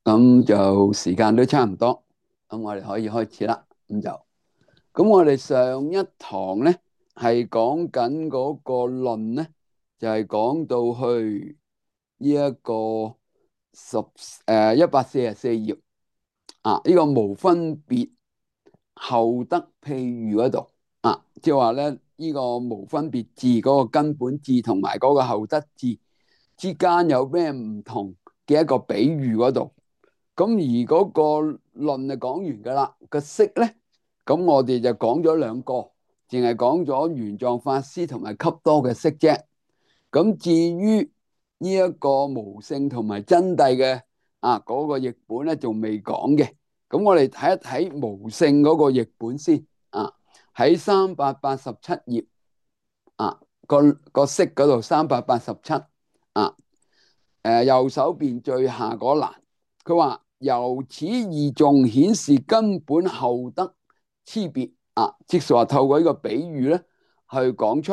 咁就時間都差唔多，咁我哋可以開始啦。咁我哋上一堂咧係講緊嗰個論咧，就係講到去呢一個144頁啊，呢個無分別後得譬喻嗰度啊，即係話咧呢個無分別字嗰個根本字同埋嗰個後得字之間有咩唔同嘅一個比喻嗰度。咁而嗰個論就講完噶啦，個釋咧，咁我哋就講咗兩個，淨係講咗玄奘法師同埋笈多嘅釋啫。咁至於呢一個無性同埋真諦嘅嗰個譯本咧，仲未講嘅。咁我哋睇一睇無性嗰個譯本先啊，喺387頁啊，個釋嗰度387啊，右手邊最下嗰欄，佢話由此二眾顯示根本後得差別啊，即是話透過呢個比喻咧，去講出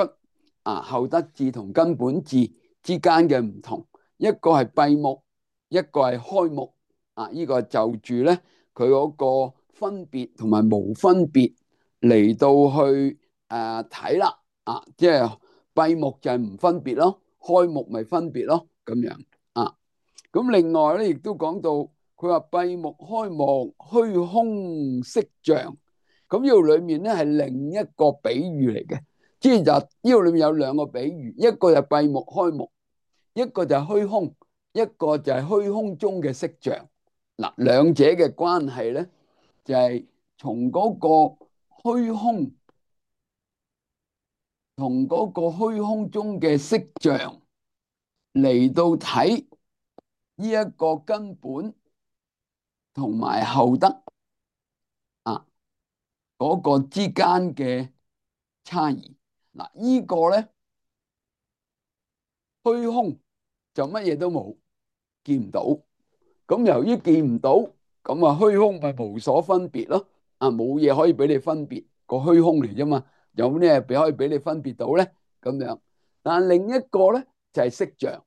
後得智同根本智之間嘅唔同，一個係閉目，一個係開目啊。呢個就住咧佢嗰個分別同埋無分別嚟到去睇啦即係閉目就係唔分別咯，開目咪分別咯，咁樣啊。咁另外咧，亦都講到佢話閉目開目虛空色像，咁呢度裏面咧係另一個比喻嚟嘅，即係就呢度裏面有兩個比喻，一個就閉目開目，一個就係虛空，一個就係虛空中嘅色像。嗱，兩者嘅關係咧，就係從嗰個虛空同嗰個虛空中嘅色像嚟到睇呢一個根本同埋後得啊嗰個之間嘅差異。嗱，呢個咧虛空就乜嘢都冇，見唔到。咁由於見唔到，咁虛空咪無所分別咯。冇嘢可以俾你分別，個虛空嚟啫嘛。有咩可以俾你分別到咧？咁樣，但係另一個咧就係色像，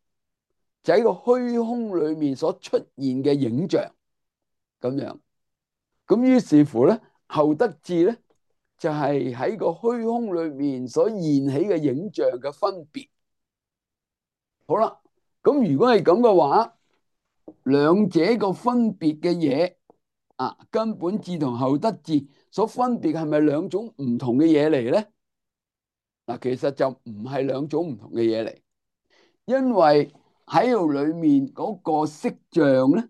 就喺個虛空裏面所出現嘅影像咁樣。咁於是乎咧，後得智咧就係喺個虛空裏面所現起嘅影像嘅分別。好啦，咁如果係咁嘅話，兩者個分別嘅嘢根本智同後得智所分別係咪兩種唔同嘅嘢嚟咧？嗱，其實就唔係兩種唔同嘅嘢嚟，因為喺度裏面嗰個色像咧，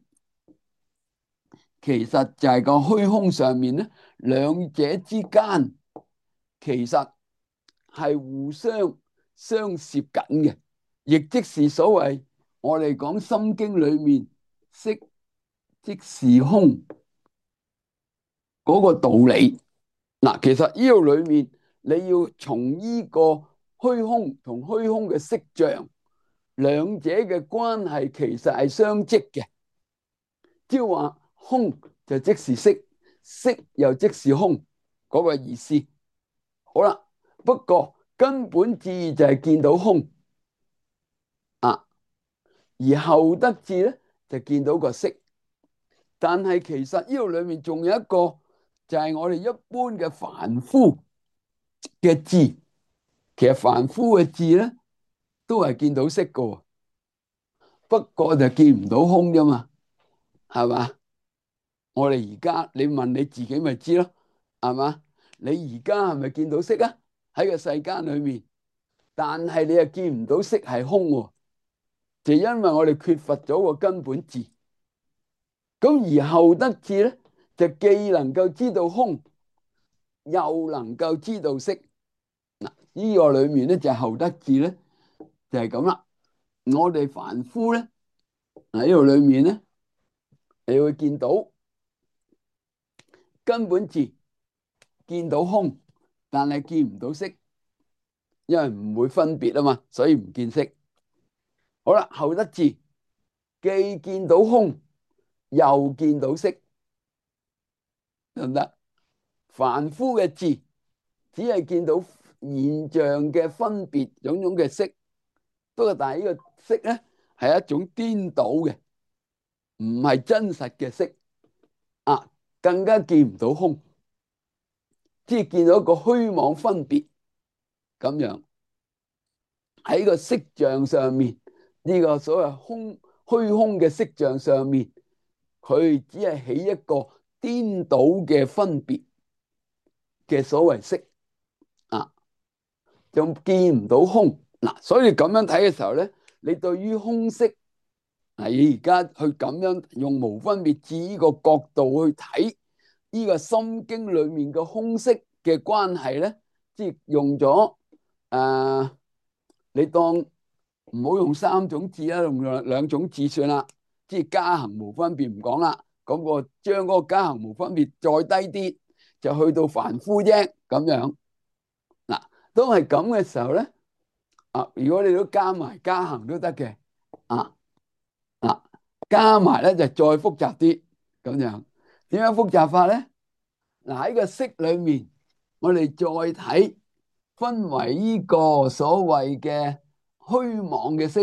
其實就係個虛空上面咧，兩者之間其實係互相相攝緊嘅，亦即是所謂我哋講《心經》裏面色即是空嗰個道理。嗱，其實呢度裏面你要從呢個虛空同虛空嘅色像兩者嘅關係，其實係相即嘅，即係話空就即是色，色又即是空嗰個意思。好啦，不過根本智就係見到空而後得智咧就見到個色。但係其實呢度裏面仲有一個，就係我哋一般嘅凡夫嘅智。其實凡夫嘅智咧都係見到色噶，不過就見唔到空啫嘛，係嘛？我哋而家你問你自己咪知咯，係嘛？你而家係咪見到色啊？喺個世間裏面，但係你又見唔到色係空，就因為我哋缺乏咗個根本智。咁而後得智咧，就既能夠知道空，又能夠知道色。嗱，呢個裏面咧就係後得智咧，就係咁啦。我哋凡夫咧，喺呢度裏面咧，你會見到根本智，見到空，但係見唔到色，因為唔會分別啊嘛，所以唔見色。好啦，後得智既見到空，又見到色，得唔得？凡夫嘅智只係見到現象嘅分別，種種嘅色。不過但係呢個色咧係一種顛倒嘅，唔係真實嘅色啊，更加見唔到空，即係見到一個虛妄分別咁樣。喺個色像上面，呢個所謂虛空嘅色像上面，佢只係起一個顛倒嘅分別嘅所謂色啊，就見唔到空嗱。所以咁樣睇嘅時候咧，你對於空色，你而家去咁樣用無分別智呢個角度去睇呢個心經裏面嘅空色嘅關係咧，即係用咗你當唔好用三種智啦，用兩種智算啦，即係加行無分別唔講啦，咁我將嗰個加行無分別再低啲，就去到凡夫啫咁樣嗱。都係咁嘅時候咧，如果你都加埋加行都得嘅啊。啊，加埋咧就再複雜啲咁樣。點樣複雜法咧？嗱，喺個色裏面，我哋再睇分為呢個所謂嘅虛妄嘅色、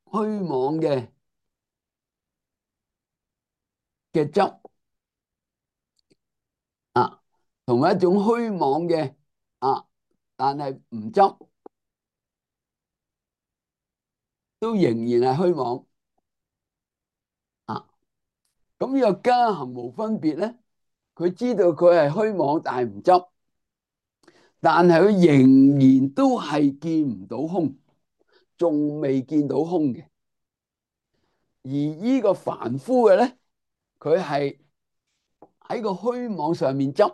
虛妄嘅執啊，同埋一種虛妄嘅但係唔執，都仍然係虛妄啊。咁呢個加行無分別咧，佢知道佢係虛妄，但係唔執。但係佢仍然都係見唔到空，仲未見到空嘅。而呢個凡夫嘅咧，佢係喺個虛妄上面執，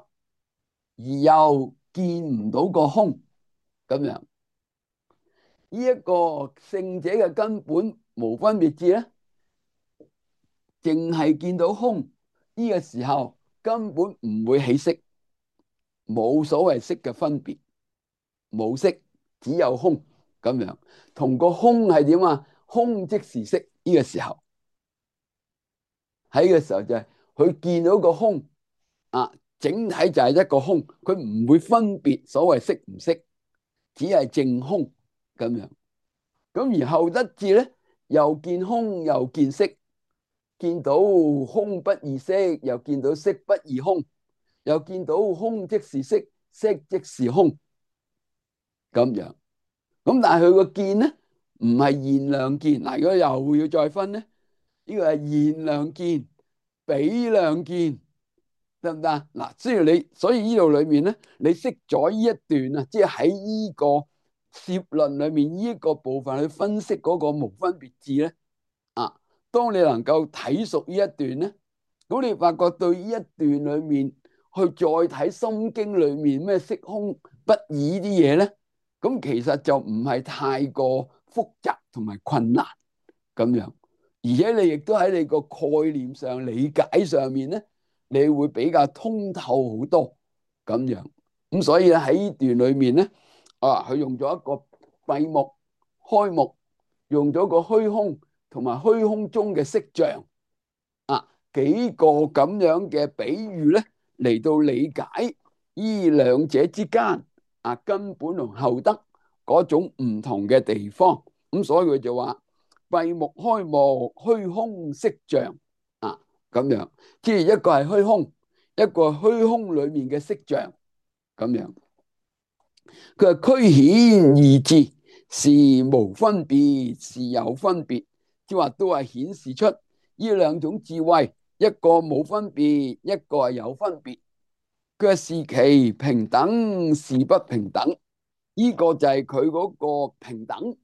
而又見唔到個空咁樣。呢一個聖者嘅根本無分別智咧，淨係見到空，呢個時候根本唔會起色，冇所謂色嘅分別，冇色，只有空咁樣。同個空係點啊？空即是色。呢個時候喺個時候就係佢見到個空整體就係一個空，佢唔會分別所謂色唔色，只係淨空咁樣。咁而後得智咧，又見空又見色，見到空不異色，又見到色不異空，又見到空即是色，色即是空咁樣。咁但係佢個見咧，唔係現量見嗱。如果又要再分咧，呢個係現量見、比量見，得唔得嗱？雖然你所以呢度裏面咧，你識咗呢一段啊，即係喺呢個攝論裏面呢一個部分去分析嗰個無分別智咧當你能夠睇熟呢一段咧，咁你發覺對呢一段裏面去再睇《心經》裏面咩色空不二啲嘢咧，咁其實就唔係太過複雜同埋困難咁樣，而且你亦都喺你個概念上理解上面咧，你會比較通透好多咁樣。咁所以咧喺呢段裏面咧，佢用咗一個閉目、開目，用咗個虛空同埋虛空中嘅色像幾個咁樣嘅比喻咧，嚟到理解呢兩者之間根本同後得嗰種唔同嘅地方。咁所以佢就話閉目開目虛空色像咁樣，即係一個係虛空，一個係虛空裏面嘅色像咁樣。佢話俱顯二智，是無分別，是有分別，即係話都係顯示出呢兩種智慧，一個冇分別，一個係有分別。佢話是其平等，是不平等。呢個就係佢嗰個平等，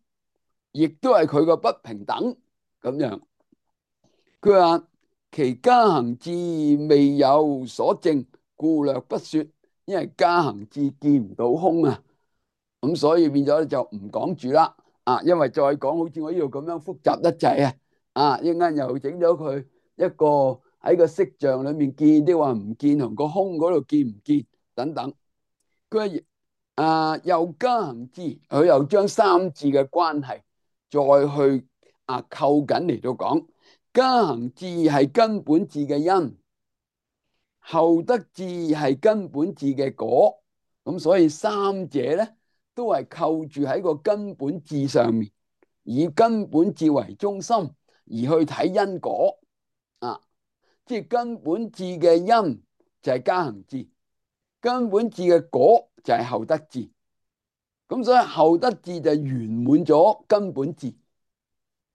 亦都係佢個不平等咁樣。佢話其加行智未有所證，故略不說。因為加行智見唔到空咁所以變咗就唔講住啦因為再講好似我呢度咁樣複雜得滯一陣間又整咗佢一個喺個色像裏面見，啲話唔見，同個空嗰度見唔見等等。佢話又加行智，佢又將三智嘅關係再去扣緊嚟到講。加行智係根本智嘅因，後得智係根本智嘅果。咁所以三者咧都係扣住喺個根本智上面，以根本智為中心而去睇因果。啊，即係根本智嘅因就係加行智，根本智嘅果就係後得智。咁所以後得智就圓滿咗根本智。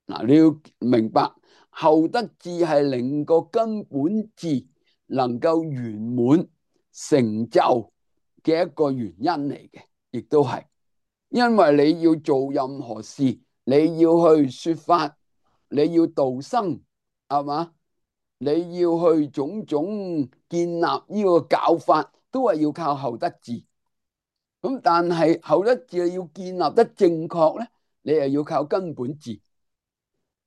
嗱，你要明白後得智係令個根本智能夠圓滿成就嘅一個原因嚟嘅，亦都係因為你要做任何事，你要去說法，你要度生，係嘛？你要去種種建立呢個教法，都係要靠後得智。咁但係後得智要建立得正確咧，你又要靠根本智。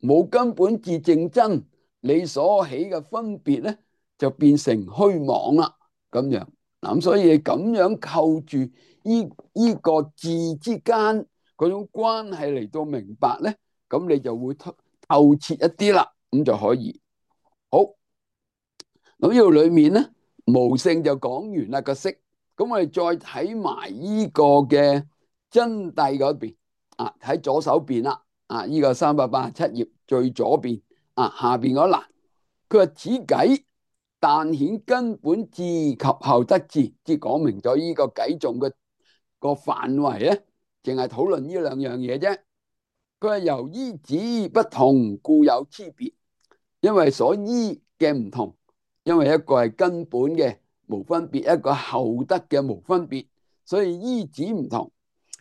冇根本智正真，你所起嘅分別咧就變成虛妄啦。咁樣嗱，咁所以你咁樣扣住呢個智之間嗰種關係嚟到明白咧，咁你就會透徹一啲啦，咁就可以好。咁呢度裏面咧，無性就講完啦個識。咁我哋再睇埋呢個嘅真諦嗰邊啊，喺左手邊啦。啊！呢個387頁最左邊啊，下邊嗰欄，佢話此偈但顯根本智及後得智，即係講明咗呢個偈頌嘅個範圍咧，淨係討論呢兩樣嘢啫。佢話由依止不同，故有差別，因為所依嘅唔同，因為一個係根本嘅無分別，一個後得嘅無分別，所以依止唔同。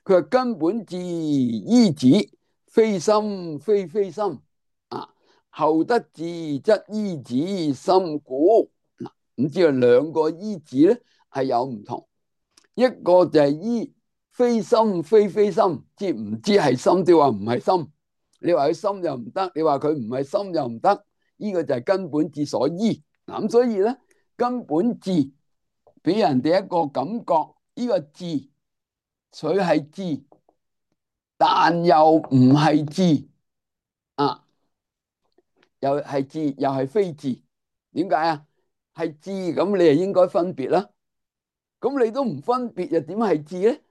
佢話根本智依止，非心非非心啊，後得智則依止心故。嗱，咁知道兩個依止咧係有唔同，一個就係依非心非非心，即係唔知係心定話唔係心。你話佢心又唔得，你話佢唔係心又唔得，呢個就係根本智所依。嗱，咁所以咧，根本智俾人哋一個感覺，呢個智佢係智，但又唔係智啊，又係智又係非智。點解啊？係智咁，你就應該分別啦。咁你都唔分別，又點係智咧？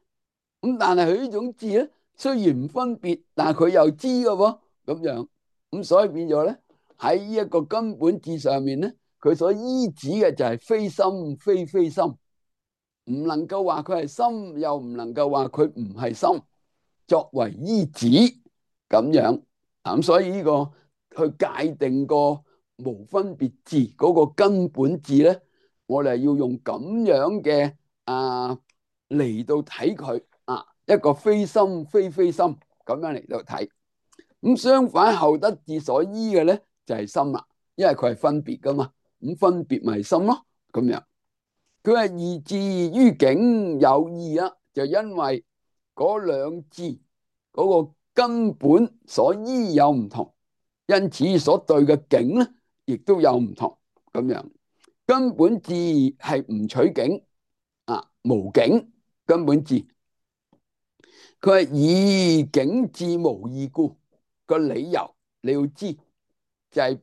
咁但係佢呢種智咧，雖然唔分別，但係佢又知嘅喎，咁樣咁所以變咗咧，喺呢一個根本智上面咧，佢所依止嘅就係非心非非心，唔能夠話佢係心，又唔能夠話佢唔係心，作為依止咁樣。咁所以呢個去界定個無分別智嗰個根本智咧，我哋要用咁樣嘅嚟到睇佢啊，一個非心非非心咁樣嚟到睇。咁相反後得智所依嘅咧就係心啦，因為佢係分別噶嘛，咁分別咪心咯，咁樣。佢係二智於境有異啦，就因為嗰兩智嗰個根本所依有唔同，因此所對嘅境咧亦都有唔同咁樣。根本智係唔取境啊，無境根本智。佢係以境智無異故，個理由你要知，就係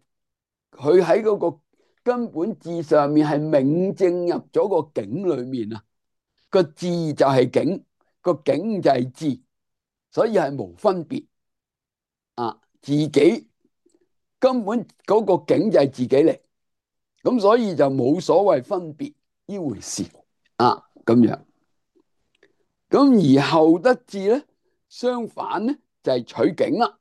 佢喺嗰個根本智上面係明證入咗個境裏面啊，個智就係境，個境就係智，所以係無分別啊。自己根本嗰個境就係自己嚟，咁所以就冇所謂分別呢回事啊，咁樣。咁而後得智咧，相反咧就係取境啦。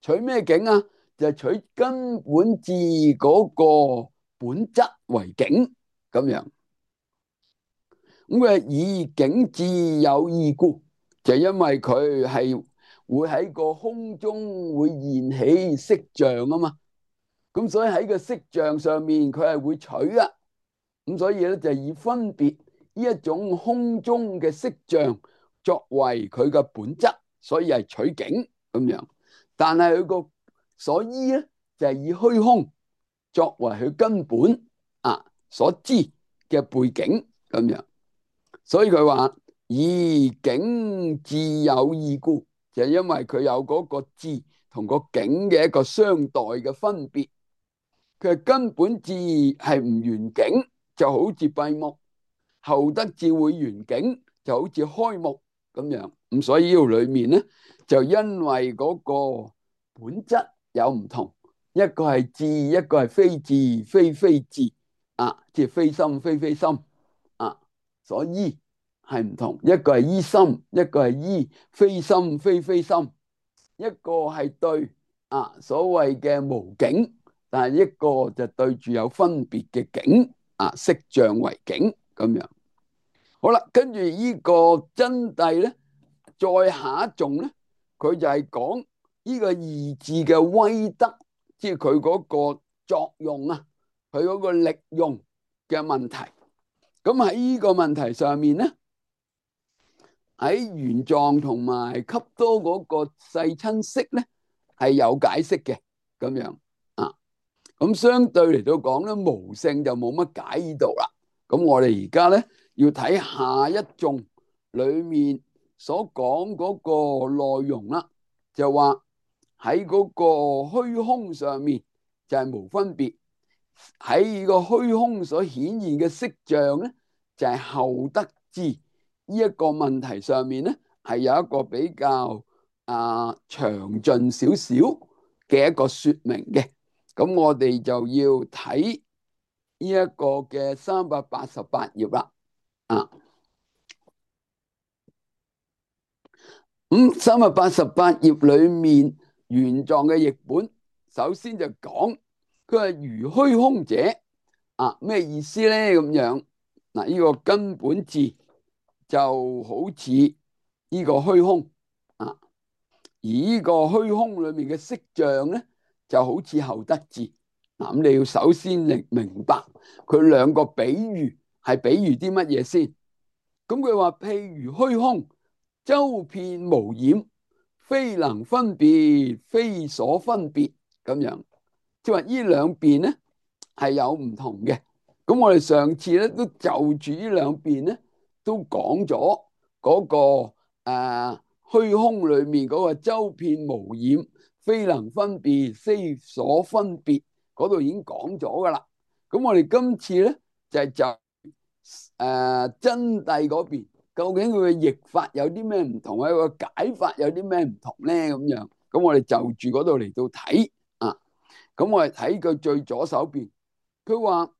取咩境啊？就係取根本智嗰個本質為境咁樣。咁佢以境智有異故，就因為佢係會喺個空中會現起色像啊嘛。咁所以喺個色像上面佢係會取啊。咁所以咧就以分別呢一種空中嘅色像作為佢嘅本質，所以係取境咁樣。但係佢個所依咧就係以虛空作為佢根本所知嘅背景咁樣。所以佢話以境智有異故，就係因為佢有嗰個智同個境嘅一個相待嘅分別。佢係根本智係唔圓境，就好似閉目；後得智會圓境，就好似開目咁樣。咁所以呢度裏面咧，就因為嗰個本質有唔同，一個係智，一個係非智，非智啊，即係非心非心啊，所依係唔同。一個係依心，一個係依非心非心，一個係對啊所謂嘅無境，但係一個就對住有分別嘅境啊，色像為境咁樣。好啦，跟住呢個真諦咧，再下一種咧，佢就係講呢個二字嘅威德，即係佢嗰個作用啊，佢嗰個力用嘅問題。咁喺呢個問題上面咧，喺玄奘同埋笈多嗰個世親釋咧係有解釋嘅咁樣啊。咁相對嚟到講咧，無性就冇乜解呢度啦。咁我哋而家咧要睇下一頌裏面所講嗰個內容啦，就話喺嗰個虛空上面就係無分別，喺個虛空所顯現嘅色像咧就係後得智。呢一個問題上面咧係有一個比較詳盡少少嘅一個說明嘅。咁我哋就要睇呢一個嘅388頁啦。咁388頁裏面玄奘嘅譯本，首先就講佢係如虛空者咩意思咧？咁樣呢個根本智就好似呢個虛空而呢個虛空裏面嘅色像咧，就好似後得智。咁你要首先明白佢兩個比喻係比喻啲乜嘢先。咁佢話譬如虛空，周遍無染，非能分別，非所分別咁樣。即係話呢兩邊咧係有唔同嘅。咁我哋上次咧都就住呢兩邊咧都講咗嗰個虛空裏面嗰個周遍無染，非能分別，非所分別嗰度已經講咗噶啦。咁我哋今次咧就真諦嗰邊，究竟佢嘅譯法有啲咩唔同，佢個解法有啲咩唔同咧？咁樣，咁我哋就住嗰度嚟到睇啊。咁我哋睇佢最左手邊，佢話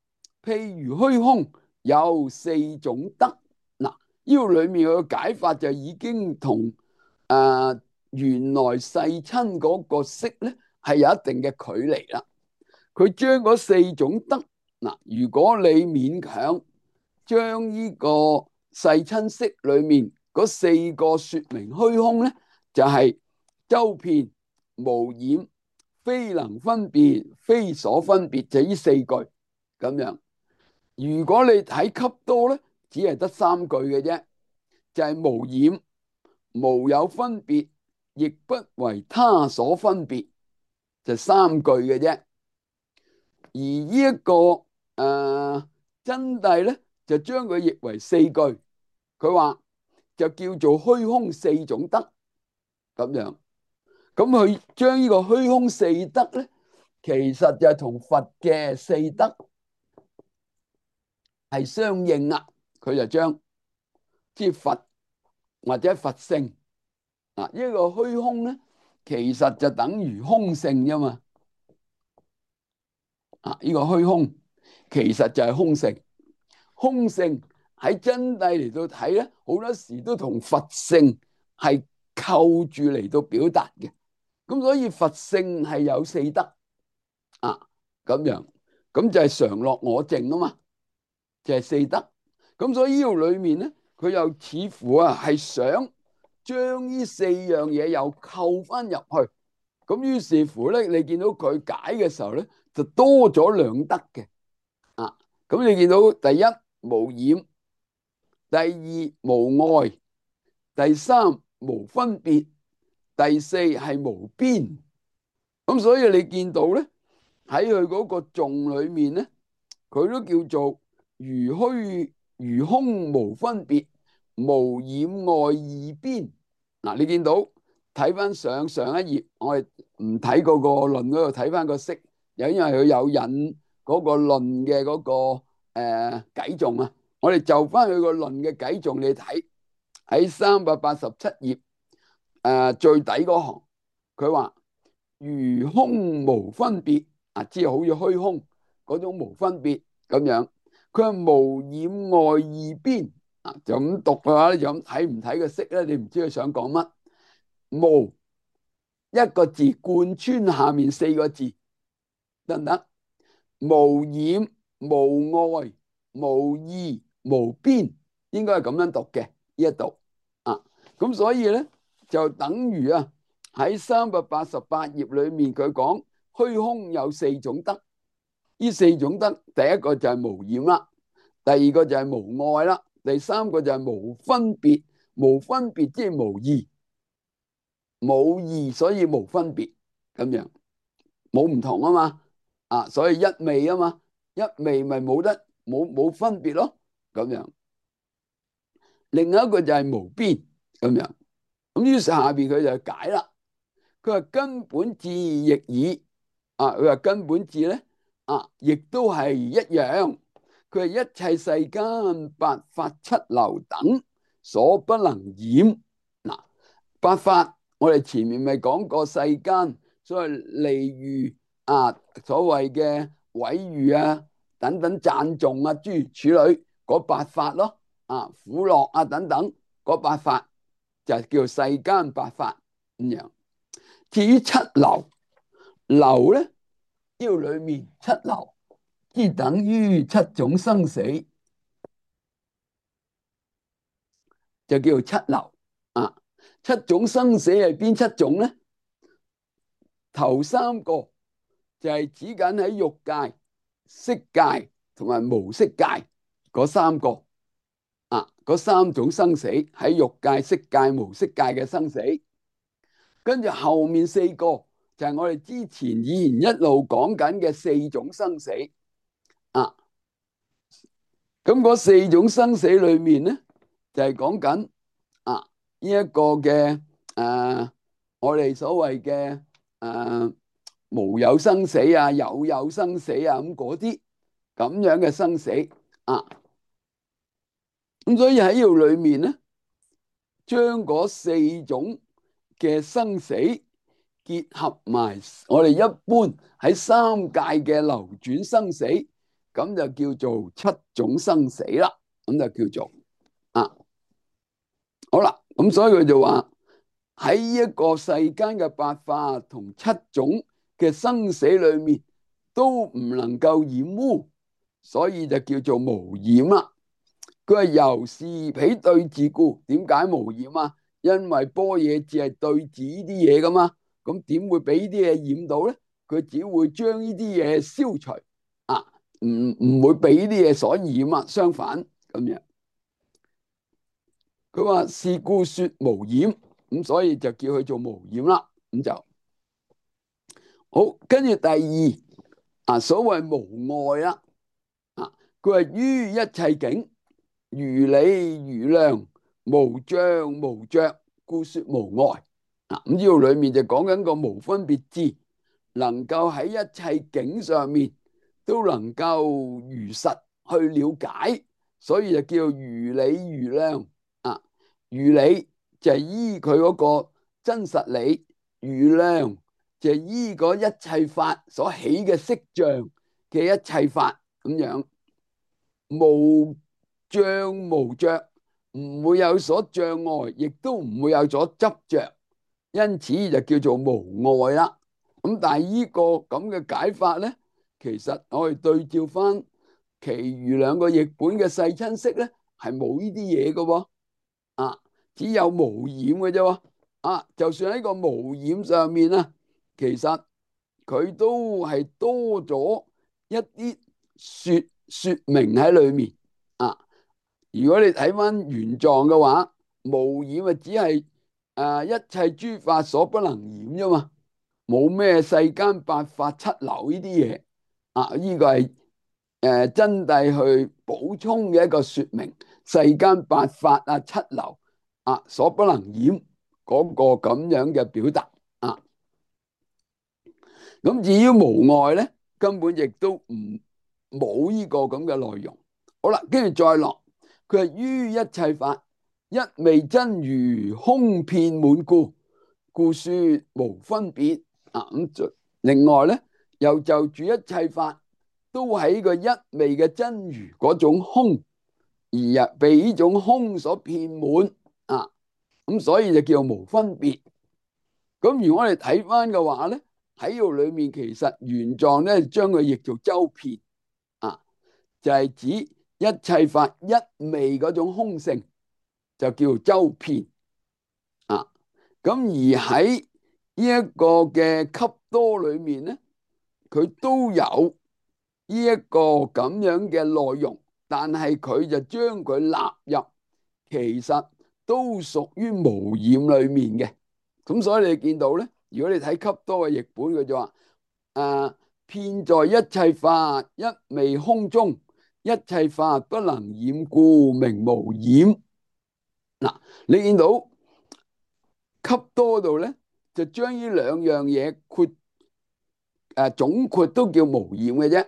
譬如虛空有四種德。嗱，呢個裏面嘅解法就已經同原來世親嗰個釋咧係有一定嘅距離啦。佢將嗰四種德如果你勉強將呢個世親釋裏面嗰四個說明虛空咧，就係周遍無染，非能分別，非所分別，就呢四句咁樣。如果你睇笈多咧，只係得三句嘅啫，就係無染，無有分別，亦不為他所分別，就三句嘅啫。而呢一個真諦咧，就將佢譯為四句。佢話就叫做虛空四種德咁樣。咁佢將呢個虛空四德咧，其實就係同佛嘅四德係相應啦。佢就將即係佛或者佛性呢個虛空咧，其實就等於空性啫嘛。呢個虛空其實就係空性。空性喺真諦嚟到睇咧，好多時都同佛性係扣住嚟到表達嘅。咁所以佛性係有四德咁樣，咁就係常樂我淨啊嘛，就係四德。咁所以呢度裏面咧，佢又似乎係想將呢四樣嘢又扣翻入去。咁於是乎咧，你見到佢解嘅時候咧，就多咗兩德嘅咁你見到第一無染，第二無礙，第三無分別，第四係無邊。咁所以你見到咧，喺佢嗰個頌裏面咧，佢都叫做如虛如空無分別，無染礙二邊。你見到睇翻上一頁，我哋唔睇嗰個論嗰度，睇翻個釋，又因為佢有引嗰個論嘅嗰個偈頌啊，我哋就翻佢個論嘅偈頌你睇，喺387頁最底嗰行，佢話如空無分別啊，即係好似虛空嗰種無分別咁樣。佢係無染外二邊啊，就咁讀嘅話咧，就咁睇唔睇個識咧？你唔知佢想講乜？無一個字貫穿下面四個字得唔得？無染無外無異無邊，應該係咁樣讀嘅呢一度啊。咁所以咧就等於啊喺388頁裏面佢講虛空有四種德，呢四種德第一個就係無染啦，第二個就係無外啦，第三個就係無分別，無分別即係無異，冇異所以無分別咁樣，冇唔同啊嘛，啊所以一味啊嘛，一味咪冇分別咯，咁樣。另外一個就係無邊咁樣，咁於是下邊佢就解啦，佢話根本智亦爾啊，佢話根本智咧啊，亦都係一樣，佢係一切世間八法七流等所不能染。嗱，八法我哋前面咪講過世間所謂利譽啊，所謂嘅毀譽啊等等讚頌啊諸如此類嗰八法咯，啊苦樂啊等等嗰八法就叫世間八法咁樣。至於七流，流咧呢度裏面七流，即等於七種生死，就叫做七流啊。七種生死係邊七種咧？頭三個就係指緊喺欲界、色界同埋無色界嗰三個啊，嗰三種生死喺欲界、色界、無色界嘅生死。跟住後面四個就係我哋之前以前一路講緊嘅四種生死啊。咁嗰四種生死裏面咧，就係講緊啊呢一個嘅我哋所謂嘅無有生死啊、有生死啊咁嗰啲咁樣嘅生死啊。咁所以喺呢度裏面咧，將嗰四種嘅生死結合埋我哋一般喺三界嘅流轉生死，咁就叫做七種生死啦。咁就叫做啊，好啦。咁所以佢就話喺一個世間嘅八法同七種嘅生死裏面，都唔能夠染污，所以就叫做無染啦。佢係由是彼對治故，點解無染啊？因為般若智係對治呢啲嘢噶嘛，咁點會俾呢啲嘢染到咧？佢只會將呢啲嘢消除啊，唔會俾呢啲嘢所染啊。相反咁樣，佢話是故說無染，咁所以就叫佢做無染啦。咁就好，跟住第二啊，所謂無礙啦啊，佢話於一切境如理如量，無障無着，故說無礙。咁呢度裏面就講緊個無分別智，能夠喺一切境上面都能夠如實去了解，所以就叫如理如量啊。如理就係依佢嗰個真實理，如量就係依嗰一切法所起嘅色像嘅一切法咁樣，無障無着，唔會有所障礙，亦都唔會有所執着，因此就叫做無礙啦。咁但係呢個咁嘅解法咧，其實我哋對照翻其餘兩個譯本嘅世親釋咧，係冇呢啲嘢嘅喎啊，只有無染嘅啫。啊，就算喺個無染上面啊，其實佢都係多咗一啲說明喺裏面啊。如果你睇翻原狀嘅話，無染啊，只係一切諸法所不能染啫嘛，冇咩世間八法七流呢啲嘢啊。呢個係真諦去補充嘅一個說明，世間八法啊七流啊所不能染嗰個咁樣嘅表達啊。咁至於無礙咧，根本亦都唔冇呢個咁嘅內容。好啦，跟住再落，佢係於一切法一味真如空遍滿故，故說無分別咁另外咧，又就住一切法都喺個一味嘅真如嗰種空，而被呢種空所遍滿啊，咁所以就叫無分別。咁如果我哋睇翻嘅話咧，喺呢度裏面其實原狀咧將佢譯做周遍啊，就係指一切法一味嗰種空性，就叫做周遍啊。咁而喺呢一個嘅笈多裏面咧，佢都有呢一個咁樣嘅內容，但係佢就將佢納入，其實都屬於無染裏面嘅。咁所以你見到咧，如果你睇笈多嘅譯本，佢就話遍在一切法一味空中，一切法不能染故名無染。嗱，你見到笈多度咧，就將呢兩樣嘢總括都叫無染嘅啫。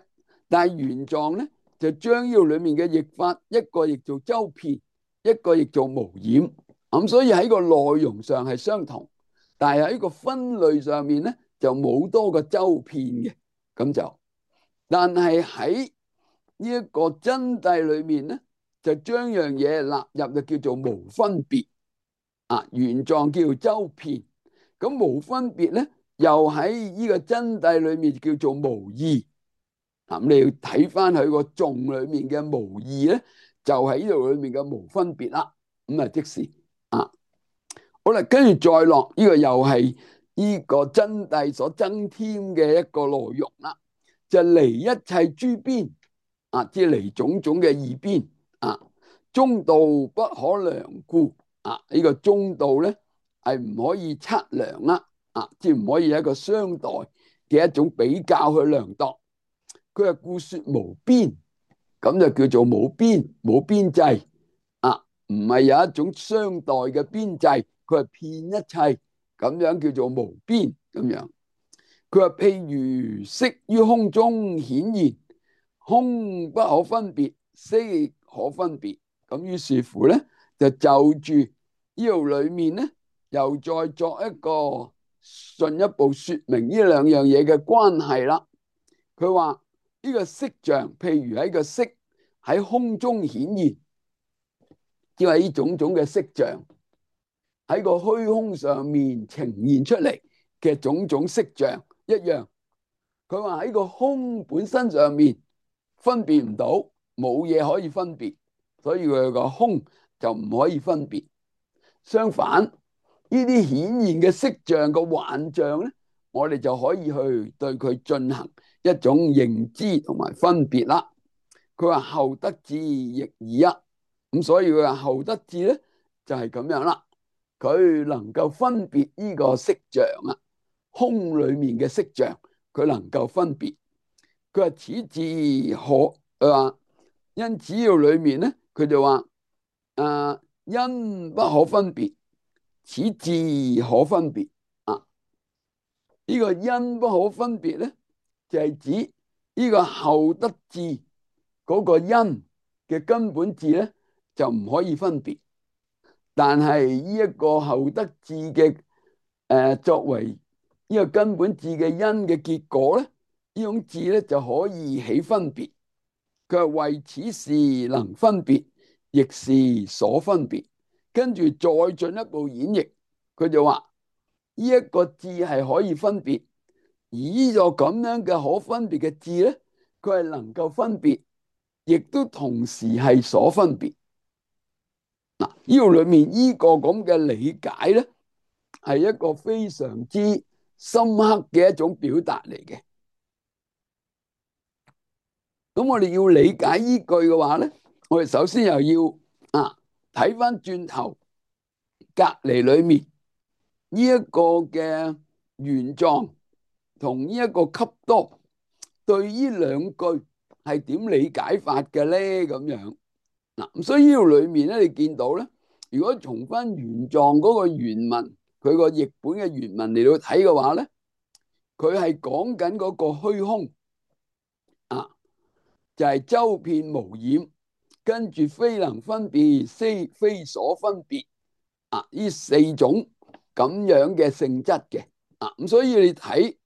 但係原狀咧，就將呢度裏面嘅譯法，一個譯做周遍，一個譯做無染。咁所以喺個內容上係相同，但係喺個分類上面咧就冇多個周遍嘅。咁就，但係喺呢一個真諦裏面咧，就將樣嘢納入就叫做無分別啊。原狀叫做周遍，咁無分別咧又喺呢個真諦裏面叫做無異。咁你要睇翻佢個頌裏面嘅無異咧，就喺呢度裏面嘅無分別啦。咁啊，即是啊，好啦，跟住再落呢個又係呢個真諦所增添嘅一個內容啦，就離一切諸邊啊，即係離種種嘅二邊啊，中道不可量故啊，呢個中道咧係唔可以測量啦啊，即係唔可以一個相待嘅一種比較去量度。佢係故說無邊，咁就叫做無邊冇邊際啊，唔係有一種相待嘅邊際，佢係遍一切，咁樣叫做無邊咁樣。佢話譬如色於空中顯現，空不可分別，色可分別。咁於是乎咧，就住呢度裏面咧，又再作一個進一步說明呢兩樣嘢嘅關係啦。佢話呢個色像，譬如喺個色喺空中顯現，即係呢種種嘅色像喺個虛空上面呈現出嚟嘅種種色像一樣。佢話喺個空本身上面分別唔到，冇嘢可以分別，所以佢個空就唔可以分別。相反，呢啲顯現嘅色像個幻象咧，我哋就可以去對佢進行一種認知同埋分別啦。佢話後得智亦爾一，咁所以佢話後得智咧就係咁樣啦。佢能夠分別呢個色像啊，空裏面嘅色像，佢能夠分別。佢話此智可，佢話因此要裏面咧，佢就話因不可分別，此智可分別啊。呢個因不可分別咧，就係指呢個後得智嗰個因嘅根本智咧，就唔可以分別。但係呢一個後得智嘅作為呢個根本智嘅因嘅結果咧，呢種智咧就可以起分別。佢係為此事能分別，亦是所分別。跟住再進一步演繹，佢就話呢一個智係可以分別，而呢個咁樣嘅可分別嘅智咧，佢係能夠分別，亦都同時係所分別。嗱，呢度裏面呢個咁嘅理解咧，係一個非常之深刻嘅一種表達嚟嘅。咁我哋要理解依句嘅話咧，我哋首先又要睇翻轉頭隔籬裏面呢一個嘅原狀同呢一個笈多對呢兩句係點理解法嘅咧？咁樣嗱，咁所以呢度裏面咧，你見到咧，如果從翻原狀嗰個原文，佢個譯本嘅原文嚟到睇嘅話咧，佢係講緊嗰個虛空啊，就係周遍無染，跟住非能分別，非所分別啊，呢四種咁樣嘅性質嘅啊，咁所以你睇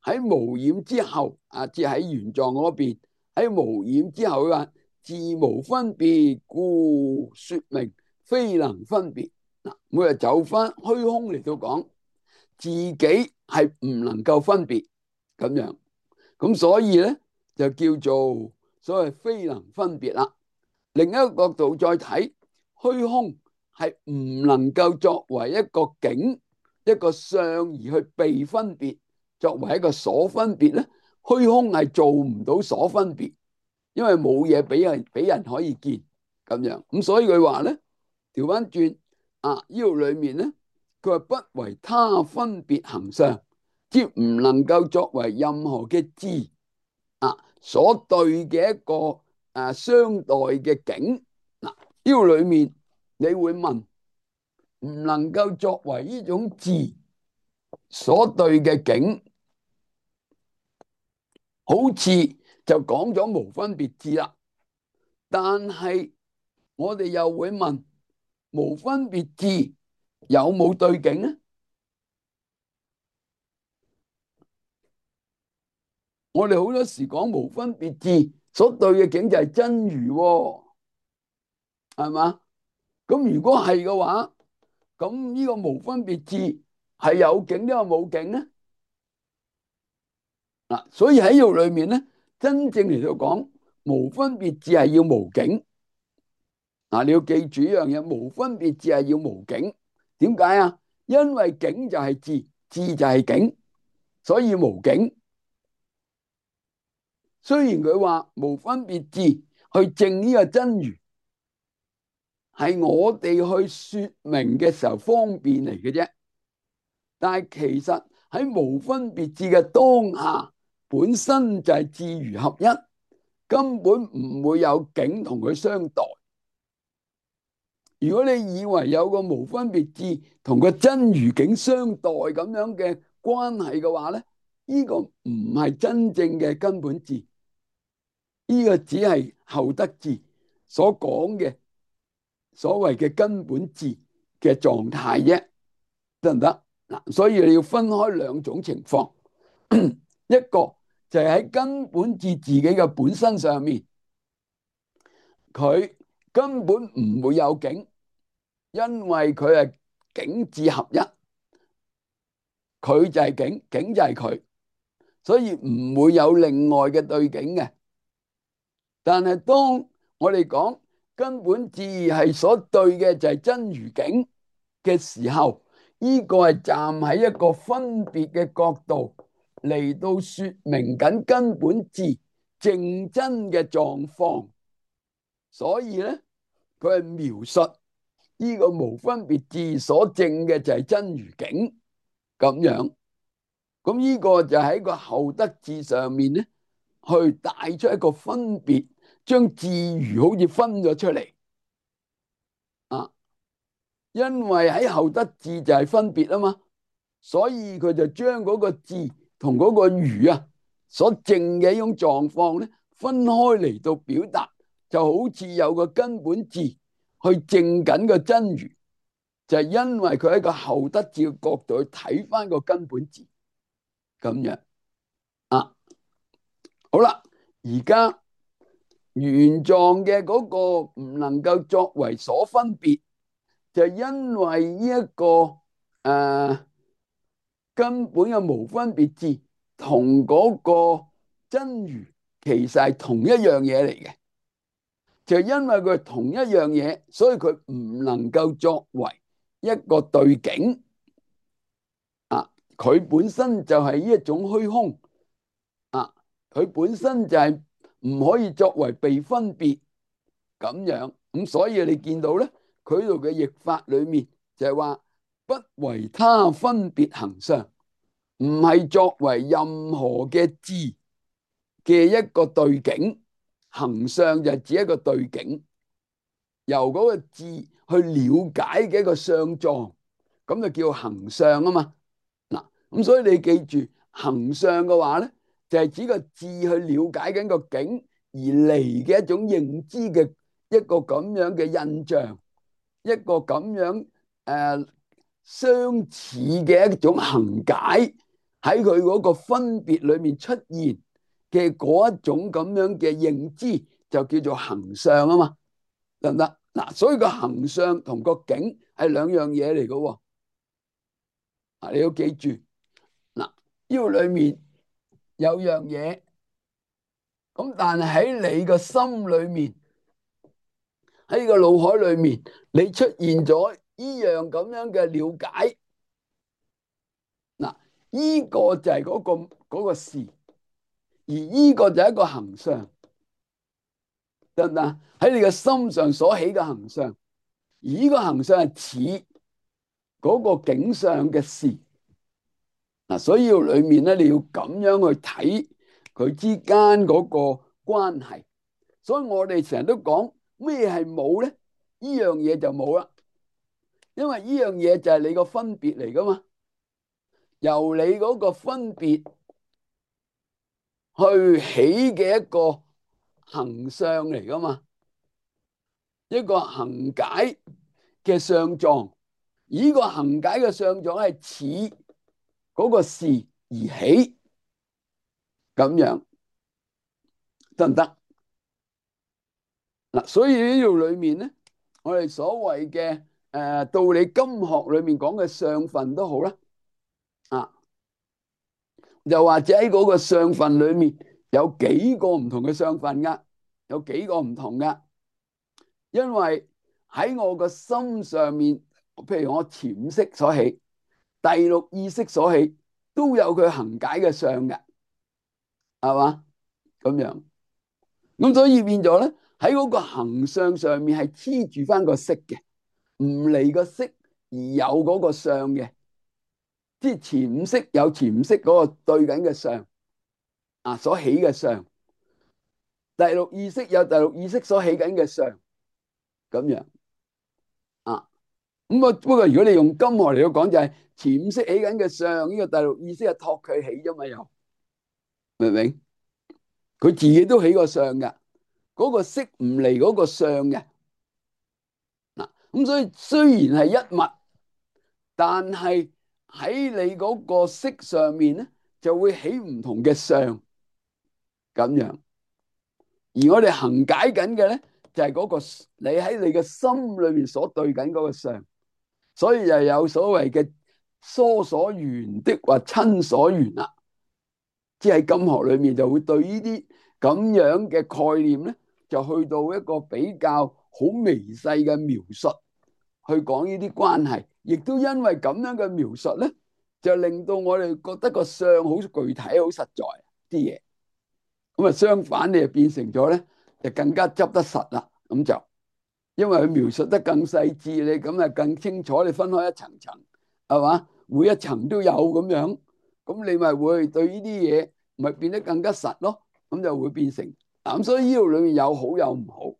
喺無染之後即係喺原狀嗰邊，喺無染之後佢話自無分別，故說明非能分別。嗱，每日走翻虛空嚟到講，自己係唔能夠分別咁樣，咁所以咧就叫做所謂非能分別啦。另一個角度再睇，虛空係唔能夠作為一個境、一個相而去被分別，作為一個所分別咧，虛空係做唔到所分別，因為冇嘢俾人可以見咁樣。咁所以佢話咧，調翻轉呢度裏面咧，佢話不為他分別行相，即唔能夠作為任何嘅智所對嘅一個相待嘅境。嗱，呢度裏面你會問，唔能夠作為呢種智所對嘅境，好似就講咗無分別智啦。但係我哋又會問，無分別智有冇對境呢？我哋好多時講無分別智所對嘅境就係真如喎，係嘛？咁如果係嘅話，咁呢個無分別智係有境定係冇境呢？所以喺呢度裏面咧，真正嚟到講無分別智係要無境。你要記住一樣嘢，無分別智係要無境。點解啊？因為境就係智，智就係境，所以無境。雖然佢話無分別智去證呢個真如，係我哋去說明嘅時候方便嚟嘅啫，但係其實喺無分別智嘅當下，本身就係智如合一，根本唔會有境同佢相待。如果你以為有個無分別智同個真如境相待咁樣嘅關係嘅話咧，呢個唔係真正嘅根本智，呢個只係後得智所講嘅所謂嘅根本智嘅狀態啫，得唔得？嗱，所以你要分開兩種情況，一個就係喺根本智自己嘅本身上面，佢根本唔會有境。因為佢係境智合一，佢就係境，境就係佢，所以唔會有另外嘅對境嘅。但係當我哋講根本智係所對嘅就係真如境嘅時候，呢個係站喺一個分別嘅角度嚟到說明緊根本智正真嘅狀況，所以咧佢係描述呢個無分別智所證嘅就係真如境咁樣。咁呢個就喺個後得智上面咧，去帶出一個分別，將智如好似分咗出嚟因為喺後得智就係分別啊嘛，所以佢就將嗰個智同嗰個如所證嘅一種狀況咧分開嚟到表達，就好似有個根本智去證緊個真如，就係因為佢喺個後得智嘅角度去睇翻個根本智咁樣好啦，而家原狀嘅嗰個唔能夠作為所分別，就因為呢一個根本嘅無分別智同嗰個真如其實係同一樣嘢嚟嘅，就因為佢係同一樣嘢，所以佢唔能夠作為一個對境佢本身就係呢一種虛空佢本身就係唔可以作為被分別咁樣，咁所以你見到咧，佢度嘅譯法裏面就係話不為他分別行相，唔係作為任何嘅智嘅一個對境，行相就係指一個對境，由嗰個智去了解嘅一個相狀，咁就叫行相啊嘛。嗱，咁所以你記住行相嘅話咧，就係指個智去了解緊個境而嚟嘅一種認知嘅一個咁樣嘅印象，一個咁樣相似嘅一種行解喺佢嗰個分別裏面出現嘅嗰一種咁樣嘅認知，就叫做行相啊嘛，得唔得？嗱，所以個行相同個境係兩樣嘢嚟嘅。啊，你要記住，嗱，呢個裏面有樣嘢，咁但係喺你個心裏面，喺個腦海裏面，你出現咗呢樣咁樣嘅了解，嗱，呢個就係嗰個事，而呢個就係一個行相，得唔得？喺你嘅心上所起嘅行相，而呢個行相係似嗰個景象嘅事，嗱，所以裏面咧，你要咁樣去睇佢之間嗰個關係。所以我哋成日都講咩係冇咧？呢樣嘢就冇啦，因為呢樣嘢就係你個分別嚟噶嘛，由你嗰個分別去起嘅一個行相嚟噶嘛，一個行解嘅相狀，而呢個行解嘅相狀係似嗰個事而起，咁樣得唔得？嗱，所以呢度裏面咧，我哋所謂嘅道理金學裏面講嘅相分都好啦，啊，又或者喺嗰個相分裏面有幾個唔同嘅相分噶，有幾個唔同噶，因為喺我個心上面，譬如我潛識所起、第六意識所起，都有佢行解嘅相嘅，係嘛？咁樣，咁所以變咗咧，喺嗰個行相上面係黐住翻個色嘅，唔離個色而有嗰個相嘅，即係潛識有潛識嗰個對緊嘅相啊，所起嘅相，第六意識有第六意識所起緊嘅相，咁樣啊。咁啊，不過如果你用金學嚟到講，就係潛識起緊嘅相，呢個第六意識係託佢起啫嘛，又明唔明？佢自己都起個相嘅，嗰個色唔離嗰個相嘅。嗱，咁所以雖然係一物，但係喺你嗰個色上面咧，就會起唔同嘅相咁樣。而我哋行解緊嘅咧，就係嗰個你喺你嘅心裏面所對緊嗰個相，所以又有所謂嘅疏所緣的或親所緣啦。即係喺金學裏面就會對呢啲咁樣嘅概念咧，就去到一個比較好微細嘅描述，去講呢啲關係。亦都因為咁樣嘅描述咧，就令到我哋覺得個相好具體、好實在啲嘢。咁啊，相反你就變成咗咧，就更加執得實啦。咁就因為佢描述得更細緻，你咁啊更清楚。你分開一層層，係嘛？每一層都有咁樣，咁你咪會對呢啲嘢咪變得更加實咯。咁就會變成咁，所以呢度裏面有好有唔好。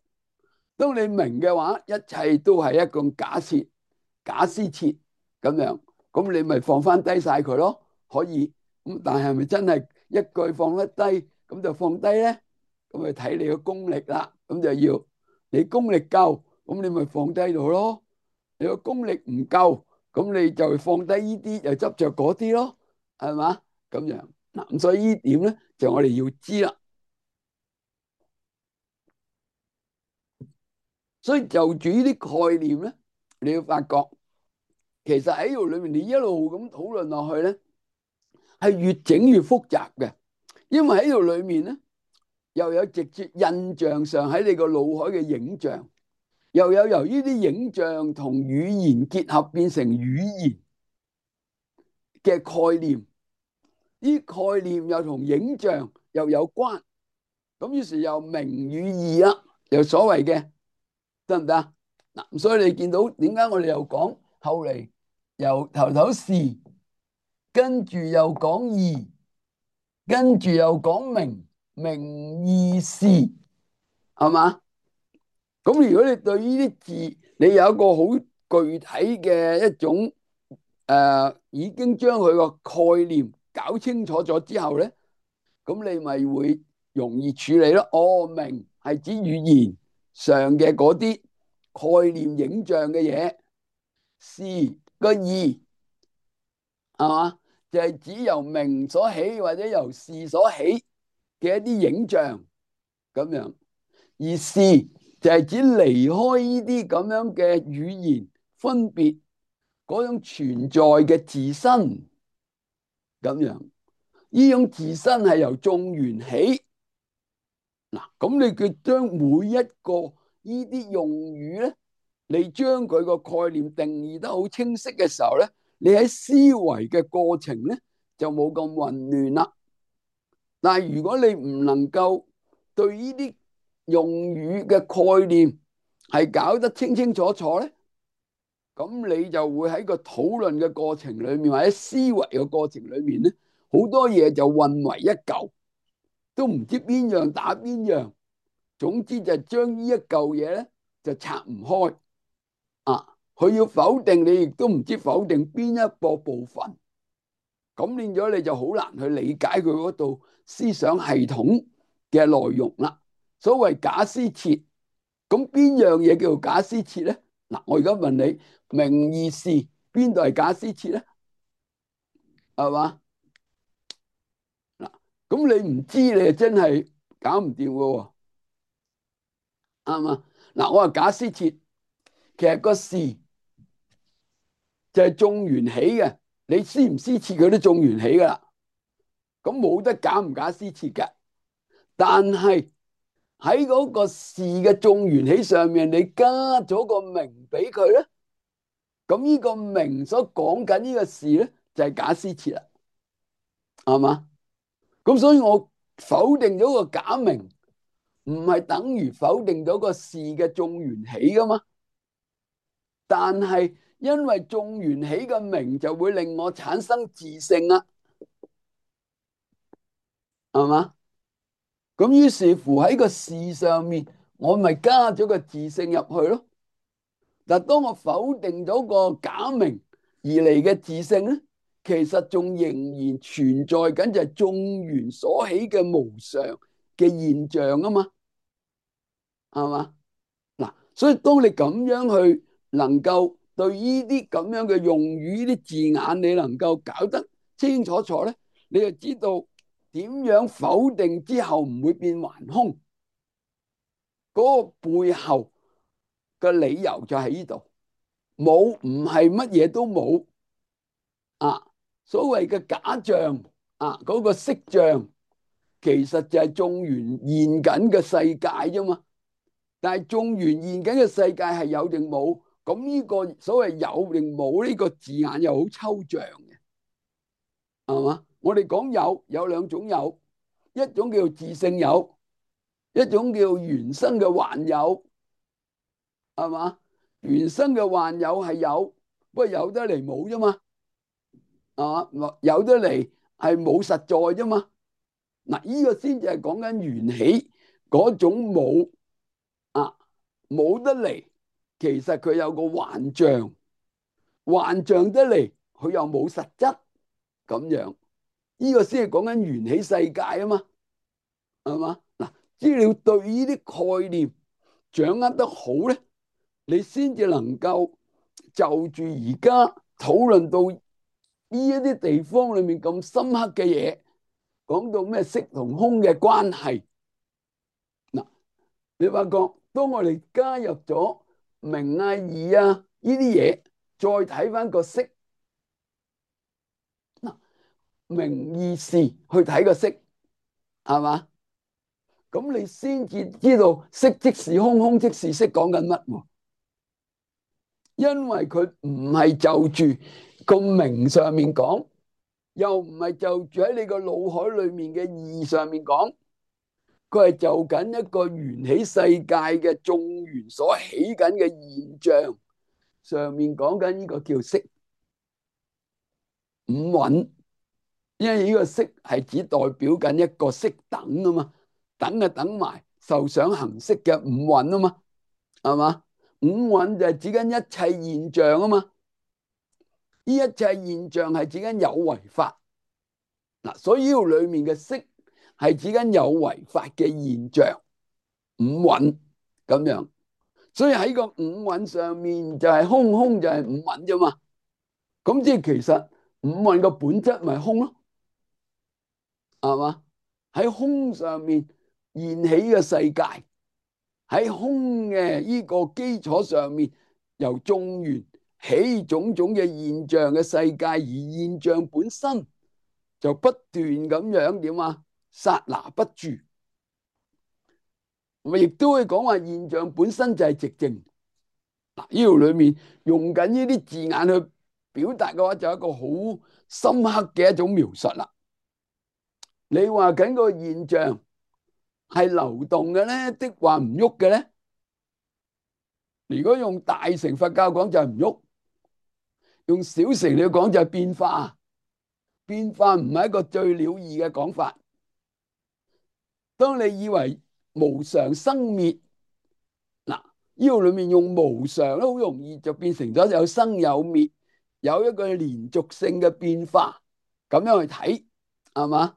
當你明嘅話，一切都係一個假設、假施設咁樣，咁你咪放翻低晒佢咯。可以咁，但係咪真係一句放得低？咁就放低咧，咁咪睇你個功力啦。咁就要你功力夠，咁你咪放低度咯。你個功力唔夠，咁你就放低呢啲，又執着嗰啲咯，係嘛？咁樣嗱，咁所以呢點咧，就我哋要知啦。所以就住呢啲概念咧，你要發覺，其實喺度裏面，你一路咁討論落去咧，係越整越複雜嘅，因為喺度裏面咧。又有直接印象上喺你個腦海嘅影像，又有由於啲影像同語言結合變成語言嘅概念，呢概念又同影像又有關，咁於是又名與義啦，又所謂嘅得唔得啊？嗱，所以你見到點解我哋又講後嚟由頭頭事，跟住又講義，跟住又講名，名義事，係嘛？咁如果你對呢啲字，你有一個好具體嘅一種已經將佢個概念搞清楚咗之後咧，咁你咪會容易處理咯。哦，明係指語言上嘅嗰啲概念影像嘅嘢，事個義係嘛，就係指由名所起或者由事所起嘅一啲影像咁樣，而事就係指離開呢啲咁樣嘅語言分別嗰種存在嘅自身咁樣，呢種自身係由眾緣起。嗱，咁你佢將每一個呢啲用語咧，你將佢個概念定義得好清晰嘅時候咧，你喺思維嘅過程咧就冇咁混亂啦。但係如果你唔能夠對呢啲用語嘅概念係搞得清清楚楚咧，咁你就會喺個討論嘅過程裏面或者思維嘅過程裏面咧，好多嘢就混為一嚿，都唔知邊樣打邊樣。總之就將呢一嚿嘢咧就拆唔開啊！佢要否定你，亦都唔知否定邊一個部分，咁變咗你就好難去理解佢嗰度思想系統嘅內容啦。所謂假思設，咁邊樣嘢叫做假思設咧？嗱，我而家問你，名義事邊度係假思設咧？係嘛？嗱，咁你唔知，你就真係搞唔掂噶喎，啱嘛？嗱，我話假思設，其實個事就係眾緣起嘅，你思唔思設佢都眾緣起噶啦，咁冇得假唔假思設嘅。但係喺嗰個事嘅眾緣起上面，你加咗個名俾佢咧，咁呢個名所講緊呢個事咧，就係假思設啦，係嘛？咁所以我否定咗個假名，唔係等於否定咗個事嘅眾緣起噶嘛？但係因為眾緣起嘅名就會令我產生自性啦，係嘛？咁於是乎喺個事上面，我咪加咗個自性入去咯。但當我否定咗個假名而嚟嘅自性咧，其實仲仍然存在緊就係眾緣所起嘅無常嘅現象啊嘛，係嘛？嗱，所以當你咁樣去能夠對呢啲咁樣嘅用語、呢啲字眼，你能夠搞得清清楚楚咧，你就知道點樣否定之後唔會變頑空，嗰個背後嘅理由就喺呢度。冇唔係乜嘢都冇啊！所謂嘅假象啊，嗰個色像其實就係眾緣現緊嘅世界啫嘛。但係眾緣現緊嘅世界係有定冇？咁呢個所謂有定冇呢個字眼又好抽象嘅，係嘛？我哋講有兩種有，一種叫自性有，一種叫緣生嘅幻有，係嘛？緣生嘅幻有係有，不過有得嚟冇啫嘛，係嘛？有得嚟係冇實在啫嘛。嗱，呢個先至係講緊緣起嗰種冇啊，冇得嚟，其實佢有個幻象，幻象得嚟佢又冇實質咁樣，呢個先係講緊緣起世界啊嘛，係嘛？嗱，只要你對呢啲概念掌握得好咧，你先至能夠就住而家討論到呢一啲地方裏面咁深刻嘅嘢，講到咩色同空嘅關係。嗱，你發覺當我哋加入咗名啊、義啊呢啲嘢，再睇翻個色，嗱，名義事去睇個色，係嘛？咁你先至知道色即是空，空即是色講緊乜？因為佢唔係就住個名上面講，又唔係就住喺你個腦海裏面嘅義上面講，佢係就緊一個緣起世界嘅眾緣所起緊嘅現象上面講緊呢個叫色五蘊，因為呢個色係只代表緊一個色等啊嘛，等啊等埋受想行識嘅五蘊啊嘛，係嘛？五蘊就係指緊一切現象啊嘛，呢一切現象係指緊有為法。嗱，所以呢度裏面嘅色係指緊有為法嘅現象五蘊咁樣，所以喺個五蘊上面就係空，空就係五蘊啫嘛。咁即係其實五蘊個本質咪空咯，係嘛？喺空上面現起嘅世界，喺空嘅呢個基礎上面，由眾緣起種種嘅現象嘅世界，而現象本身就不斷咁樣點啊？剎那不住，咪亦都會講話現象本身就係寂靜。嗱，呢度裏面用緊呢啲字眼去表達嘅話，就係一個好深刻嘅一種描述啦。你話緊個現象係流動嘅咧，的話唔喐嘅咧？如果用大乘佛教講就係唔喐，用小乘嚟講就係變化。變化唔係一個最了義嘅講法。當你以為無常生滅，嗱，呢度裏面用無常咧，好容易就變成咗有生有滅，有一個連續性嘅變化，咁樣去睇，係嘛？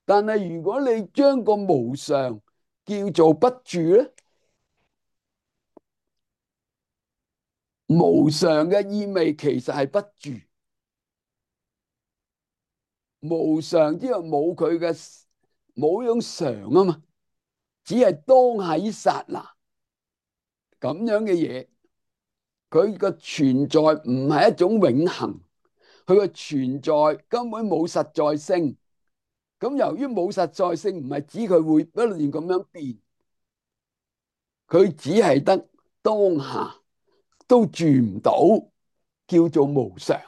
但係如果你將個無常叫做不住咧，無常嘅意味其實係不住，無常之後冇佢嘅冇種常啊嘛，只係當下一剎那咁樣嘅嘢，佢個存在唔係一種永恆，佢個存在根本冇實在性。咁由於冇實在性，唔係指佢會不斷咁樣變，佢只係得當下都住唔到，叫做無常。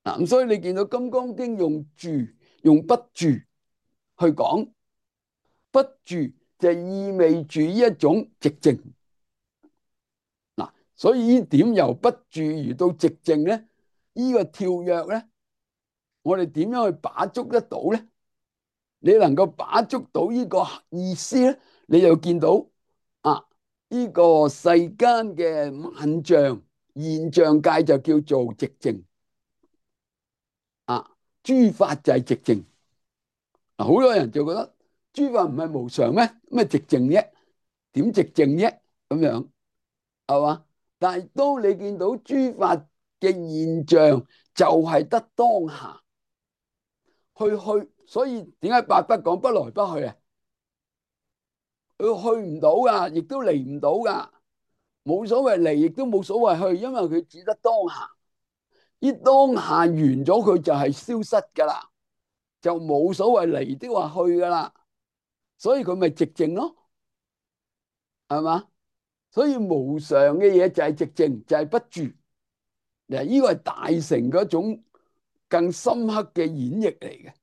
嗱，咁所以你見到《金剛經》用住用不住去講，不住就意味住呢一種寂靜。嗱，所以呢點由不住而到寂靜咧？呢個跳躍咧，我哋點樣去把捉得到咧？你能夠把捉到呢個意思咧，你就見到啊，呢個世間嘅萬象現象界就叫做寂靜啊，諸法就係寂靜。嗱，好多人就覺得諸法唔係無常咩？咩寂靜啫？點寂靜啫？咁樣係嘛？但係當你見到諸法嘅現象，就係得當下去，所以點解八不講不來不去啊？佢去唔到噶，亦都嚟唔到噶，冇所謂嚟，亦都冇所謂去，因為佢只得當下。呢當下完咗，佢就係消失噶啦，就冇所謂嚟的話去噶啦，所以佢咪寂靜咯，係嘛？所以無常嘅嘢就係寂靜，就係不住。嗱，呢個係大乘嗰種更深刻嘅演繹嚟嘅。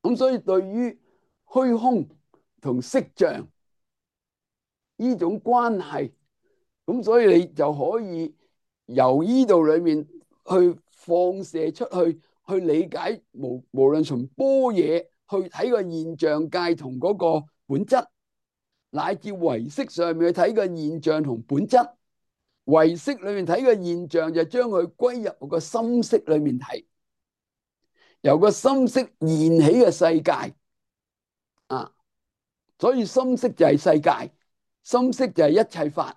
咁所以對於虛空同色像呢種關係，咁所以你就可以由呢度裏面去放射出去，去理解無論從般若去睇個現象界同嗰個本質，乃至唯識上面去睇個現象同本質。唯識裏面睇個現象就將佢歸入個心識裏面睇，由個心識現起嘅世界啊，所以心識就係世界，心識就係一切法，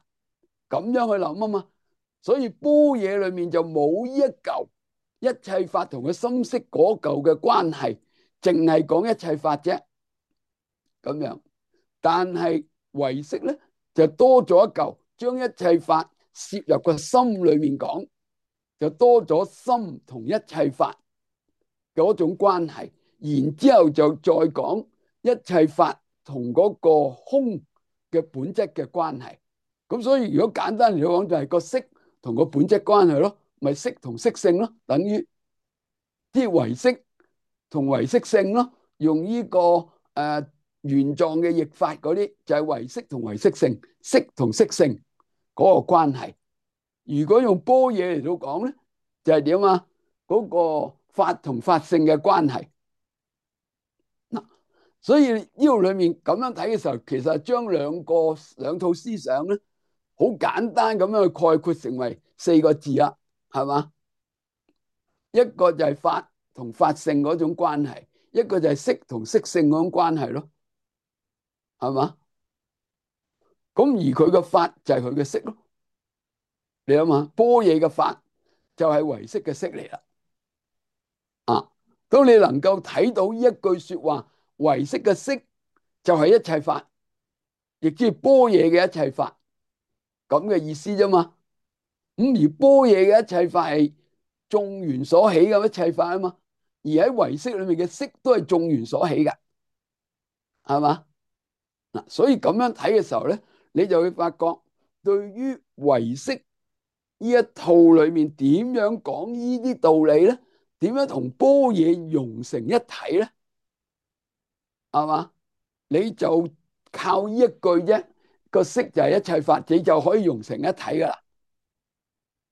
咁樣去諗啊嘛。所以般若裏面就冇呢一嚿一切法同個心識嗰嚿嘅關係，淨係講一切法啫，咁樣。但係唯識咧就多咗一嚿，將一切法攝入個心裏面講，就多咗心同一切法嗰種關係，然之後就再講一切法同嗰個空嘅本質嘅關係。咁所以如果簡單嚟講，就係個色同個本質關係咯，咪色同色性咯，等於啲唯識同唯識性咯。用呢個原狀嘅譯法嗰啲，就係唯識同唯識性，色同色性嗰個關係。如果用般若嚟到講咧，就係點啊？嗰個法同法性嘅關係。嗱，所以呢度裏面咁樣睇嘅時候，其實係將兩套思想咧，好簡單咁樣去概括成為4個字啦，係嘛？一個就係法同法性嗰種關係，一個就係色同色性嗰種關係咯，係嘛？咁而佢嘅法就係佢嘅色咯。你諗下，般若嘅法就係唯識嘅識嚟啦。啊，當你能夠睇到呢一句說話，唯識嘅識就係一切法，亦即係般若嘅一切法，咁嘅意思啫嘛。咁而般若嘅一切法係眾緣所起嘅一切法啊嘛，而喺唯識裏面嘅識都係眾緣所起嘅，係嘛？嗱，所以咁樣睇嘅時候咧，你就會發覺，對於唯識呢一套裏面點樣講呢啲道理咧，點樣同般若融成一體咧，係嘛？你就靠呢一句啫，個識就係一切法，你就可以融成一體噶啦。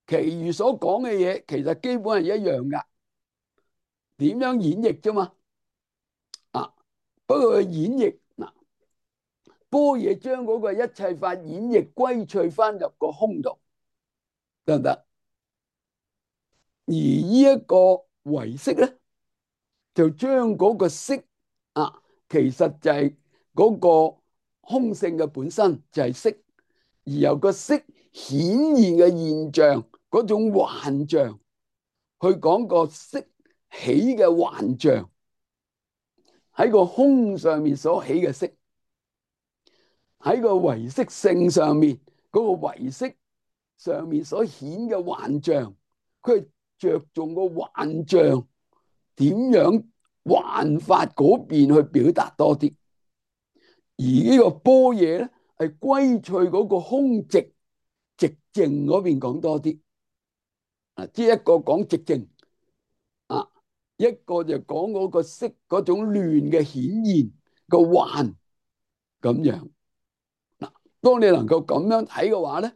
其餘所講嘅嘢，其實基本係一樣噶，點樣演繹啫嘛？啊，不過佢演繹嗱，般若將嗰個一切法演繹歸趣翻入個空度，得唔得？而呢一個唯識咧，就將嗰個識啊，其實就係嗰個空性嘅本身就係識，而由個識顯現嘅現象嗰種幻象，去講個識起嘅幻象，喺個空上面所起嘅識，喺個唯識性上面嗰個唯識上面所顯嘅幻象，佢係着重個幻象點樣幻法嗰邊去表達多啲，而呢個般若咧係歸趣嗰個空寂寂靜嗰邊講多啲。啊，即係一個講寂靜啊，一個就講嗰個識嗰種亂嘅顯現個幻咁樣。嗱，當你能夠咁樣睇嘅話咧，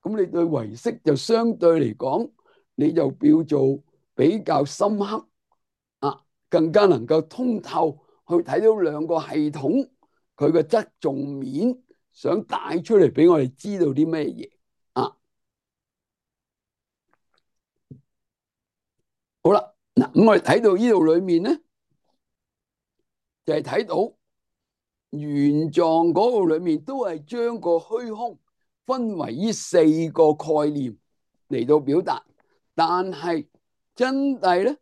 咁你對唯識就相對嚟講，你就叫做比較深刻啊，更加能夠通透去睇到兩個系統佢嘅側重面，想帶出嚟俾我哋知道啲咩嘢啊。好啦，嗱，咁我哋睇到呢度裏面咧，就係睇到玄奘嗰度裏面都係將個虛空分為呢四個概念嚟到表達，但係真諦咧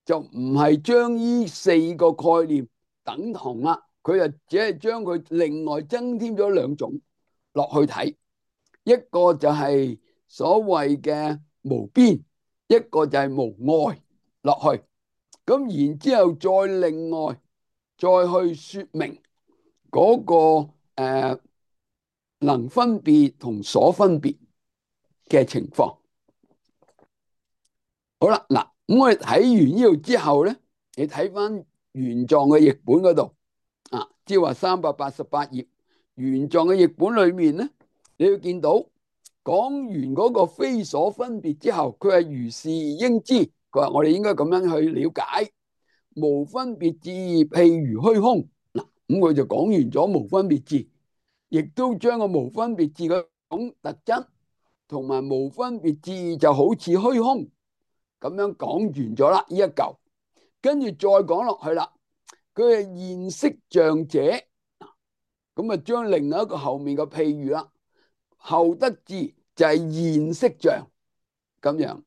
就唔係將呢四個概念等同啦，佢就只係將佢另外增添咗兩種落去睇，一個就係所謂嘅無邊，一個就係無礙落去，咁然之後再另外再去說明嗰個能分別同所分別嘅情況。好啦，嗱，咁我哋睇完呢度之後咧，你睇翻玄奘嘅譯本嗰度啊，即係話388頁玄奘嘅譯本裏面咧，你要見到講完嗰個非所分別之後，佢係如是應知，佢話我哋應該咁樣去了解無分別智，譬如虛空。嗱，咁佢就講完咗無分別智，亦都將個無分別智嗰種特質同埋無分別智就好似虛空咁樣講完咗啦，呢一嚿，跟住再講落去啦。佢係現色像者，咁啊將另外一個後面嘅譬喻啦，後得智就係現色像咁樣。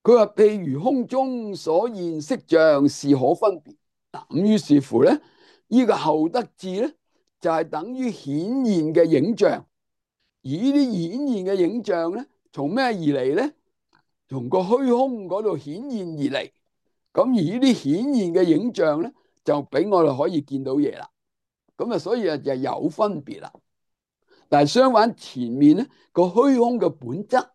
佢話譬如空中所現色像是可分別。嗱，咁於是乎咧，呢個後得智咧就係等於顯現嘅影像，而呢啲顯現嘅影像咧，從咩而嚟咧？從個虛空嗰度顯現而嚟。咁而呢啲顯現嘅影像咧，就俾我哋可以見到嘢啦。咁啊，所以就有分別啦。但係相反，前面咧個虛空嘅本質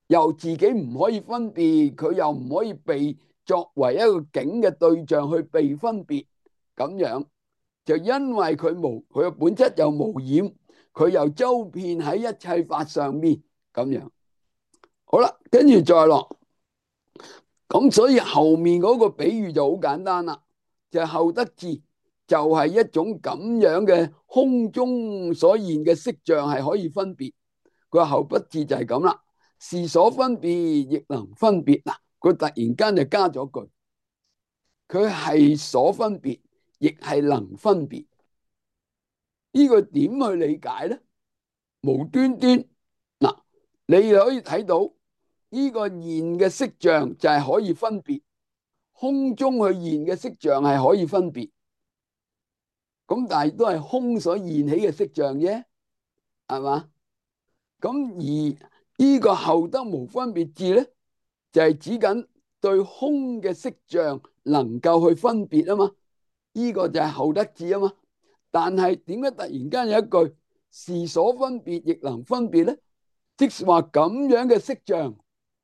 又自己唔可以分別，佢又唔可以被作為一個境嘅對象去被分別，咁樣就因為佢嘅本質又無染，佢又周遍喺一切法上面咁樣。好啦，跟住再落，咁所以後面嗰個比喻就好簡單啦，就係後得智就係一種咁樣嘅空中所現嘅色像係可以分別，佢話後不智就係咁啦，是所分別亦能分別。嗱，佢突然間就加咗句，佢係所分別亦係能分別。呢個點去理解咧？無端端嗱，你可以睇到呢個現嘅色像就係可以分別，空中去現嘅色像係可以分別，咁但係都係空所現起嘅色像啫，係嘛？咁而呢個後得無分別智咧，就係指緊對空嘅色像能夠去分別啊嘛，呢個就係後得智啊嘛。但係點解突然間有一句是所分別亦能分別咧？即是話咁樣嘅色像，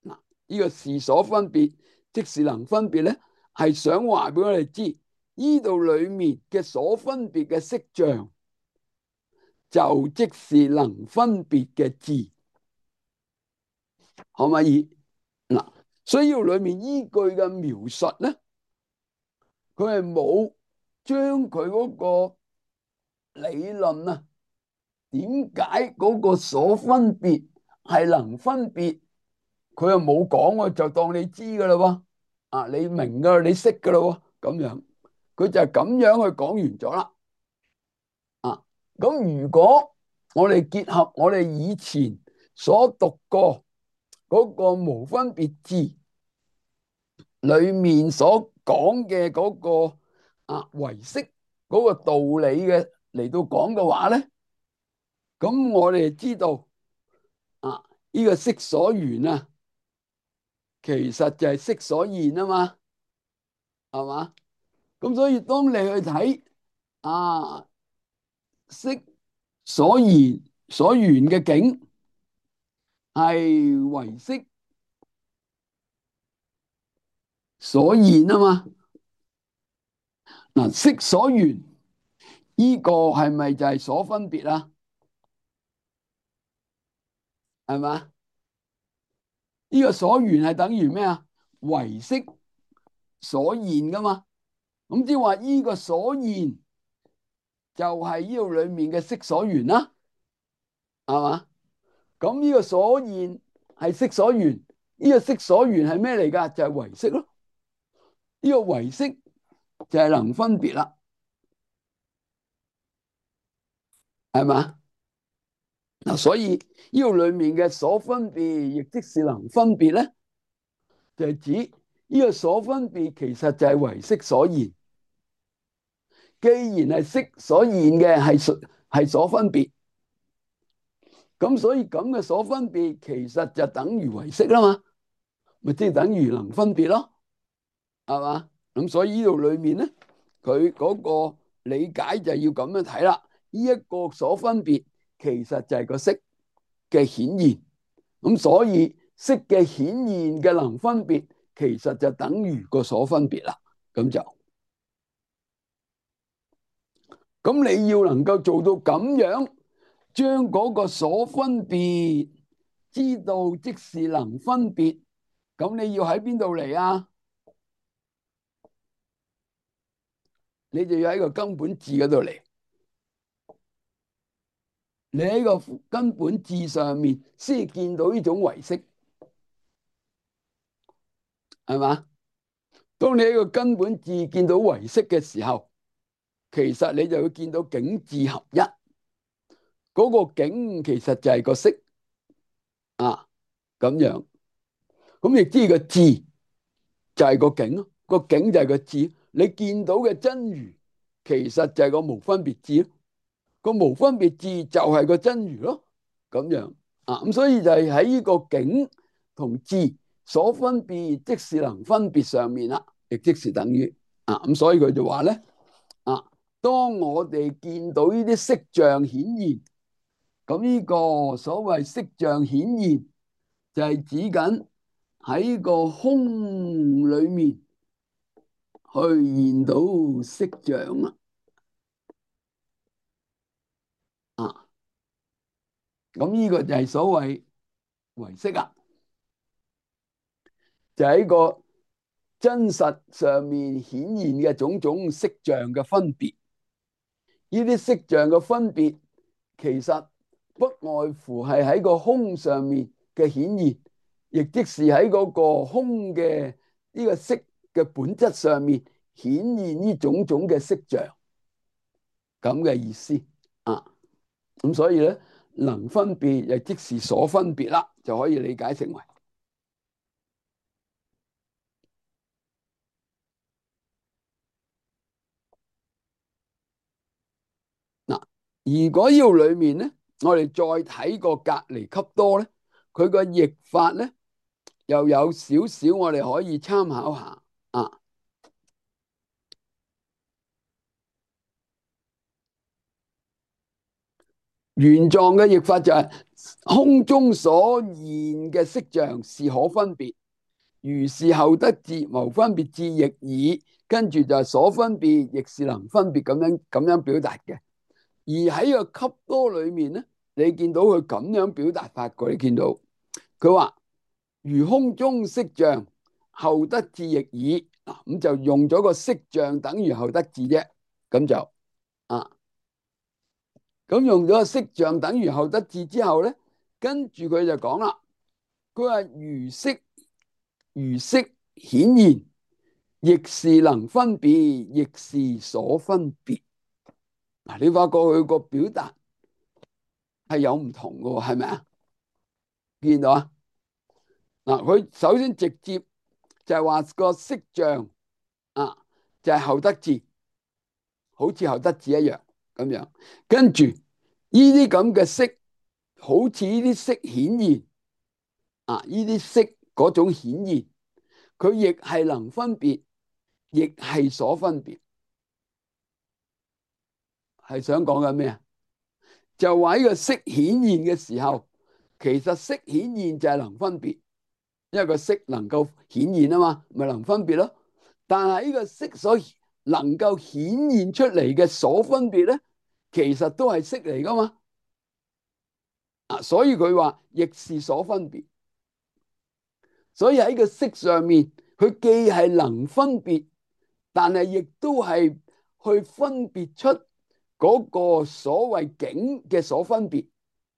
嗱，呢個是所分別即是能分別咧，係想話俾我哋知，呢度裏面嘅所分別嘅色像就即是能分別嘅智，可唔可以？嗱，所以裏面依句嘅描述咧，佢係冇將佢嗰個理論啊，點解嗰個所分別係能分別，佢又冇講喎，就當你知噶啦喎，啊，你明噶，你識噶啦喎，咁樣，佢就係咁樣去講完咗啦，啊，咁如果我哋結合我哋以前所讀過嗰個無分別智裏面所講嘅嗰個唯識嗰個道理嘅嚟到講嘅話咧，咁我哋知道啊，呢個色所緣啊，其實就係色所現啊嘛，係嘛？咁所以當你去睇色所現所緣嘅境係唯識所現啊嘛，嗱，色所緣呢個係咪就係所分別啊？係嘛？呢個所緣係等於咩啊？唯識所現噶嘛？咁即係話呢個所現就係呢度裏面嘅色所緣啦，係嘛？咁呢個所現係色所緣，呢個色所緣係咩嚟噶？就係唯識咯。呢個唯識就係能分別啦，係嘛？嗱，所以呢度裏面嘅所分別，亦即是能分別咧，就係指呢個所分別其實就係唯識所現。既然係色所現嘅係所分別，咁所以咁嘅所分別其實就等於唯識啦嘛，咪即係等於能分別咯，係嘛？咁所以呢度裏面咧，佢嗰個理解就要咁樣睇啦。呢一個所分別其實就係個色嘅顯現，咁所以色嘅顯現嘅能分別其實就等於個所分別啦。咁就咁你要能夠做到咁樣，將嗰個所分別知道即是能分別，咁你要喺邊度嚟啊？你就要喺個根本智嗰度嚟。你喺個根本智上面先見到呢種唯識，係嘛？當你喺個根本智見到唯識嘅時候，其實你就會見到境智合一。嗰個境其實就係個識啊，咁樣。咁亦知個智就係個境咯，個境就係個智。你見到嘅真如，其實就係個無分別智咯。個無分別智就係個真如咯，咁樣啊。咁所以就係喺呢個境同智所分別，即是能分別上面啦，亦即是等於啊。咁所以佢就話咧啊，當我哋見到呢啲色像顯現，咁呢個所謂色像顯現就係指緊喺個空裏面去現到色像啦。啊，咁呢個就係所謂唯識啊，就喺個真實上面顯現嘅種種色像嘅分別。呢啲色像嘅分別，其實不外乎係喺個空上面嘅顯現，亦即是喺嗰個空嘅呢個色嘅本質上面顯現呢種種嘅色像，咁嘅意思啊。咁所以咧，能分別亦即是所分別啦，就可以理解成為。如果呢度裏面咧，我哋再睇個隔離笈多咧，佢個譯法咧又有少少我哋可以參考下啊。原狀嘅譯法就係、空中所現嘅色象是可分別，如是後得智，謀分別智亦爾。跟住就係所分別，亦是能分別咁樣表達嘅。而喺個笈多裏面咧，你見到佢咁樣表達法過，你見到佢話如空中色象，後得智亦爾。咁就用咗個色象等於後得智啫，咁就啊。咁用咗個色象等於後得智之後咧，跟住佢就講啦，佢話如色顯現，亦是能分別，亦是所分別。嗱，你發覺佢個表達係有唔同嘅，係咪啊？見到啊？嗱，佢首先直接就係話個色象啊，就係後得智，好似後得智一樣咁樣。跟住呢啲咁嘅色，好似呢啲色顯現啊，呢啲色嗰種顯現，佢亦係能分別，亦係所分別。係想講緊咩啊？就話呢個色顯現嘅時候，其實色顯現就係能分別，因為個色能夠顯現啊嘛，咪能分別咯。但係呢個色所能夠顯現出嚟嘅所分別咧，其實都係色嚟噶嘛。啊，所以佢話亦是所分別。所以喺個色上面，佢既係能分別，但係亦都係去分別出嗰個所謂境嘅所分別，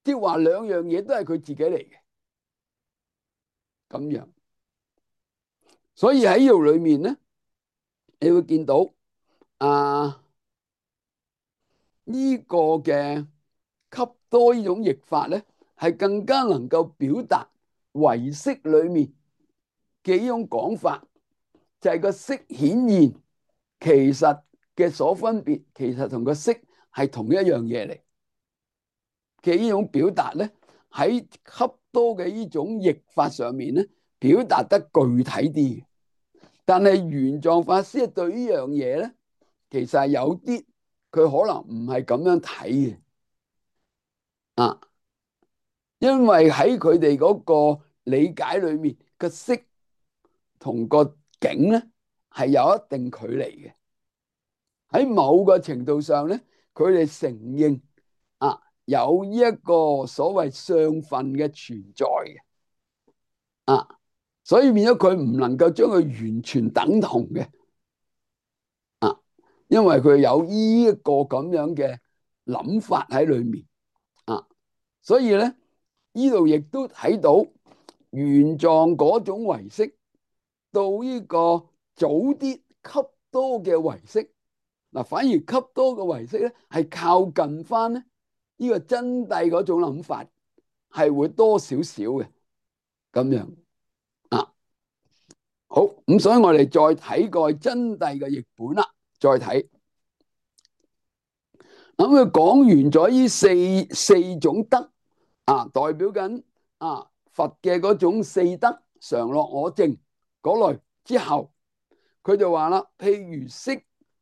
即係話兩樣嘢都係佢自己嚟嘅咁樣。所以喺呢度裏面咧，你會見到啊呢個嘅笈多呢種譯法咧，係更加能夠表達唯識裏面嘅呢種講法，就係個色顯現其實嘅所分別，其實同個色係同一樣嘢嚟嘅呢種表達咧，喺笈多嘅呢種譯法上面咧，表達得具體啲。但係玄奘法師對呢樣嘢咧，其實係有啲佢可能唔係咁樣睇嘅啊，因為喺佢哋嗰個理解裏面，個色同個境咧係有一定距離嘅。喺某個程度上咧，佢哋承認啊有呢一個所謂相分嘅存在嘅啊，所以變咗佢唔能夠將佢完全等同嘅啊，因為佢有呢一個咁樣嘅諗法喺裏面啊，所以咧呢度亦都睇到玄奘嗰種唯識到呢個早啲笈多嘅唯識。嗱，反而笈多嘅唯識咧，係靠近翻咧呢個真諦嗰種諗法，係會多少少嘅咁樣啊。好，咁所以我哋再睇過真諦嘅譯本啦，再睇咁佢講完咗呢四種德啊，代表緊啊佛嘅嗰種四德常樂我淨嗰類之後，佢就話啦，譬如色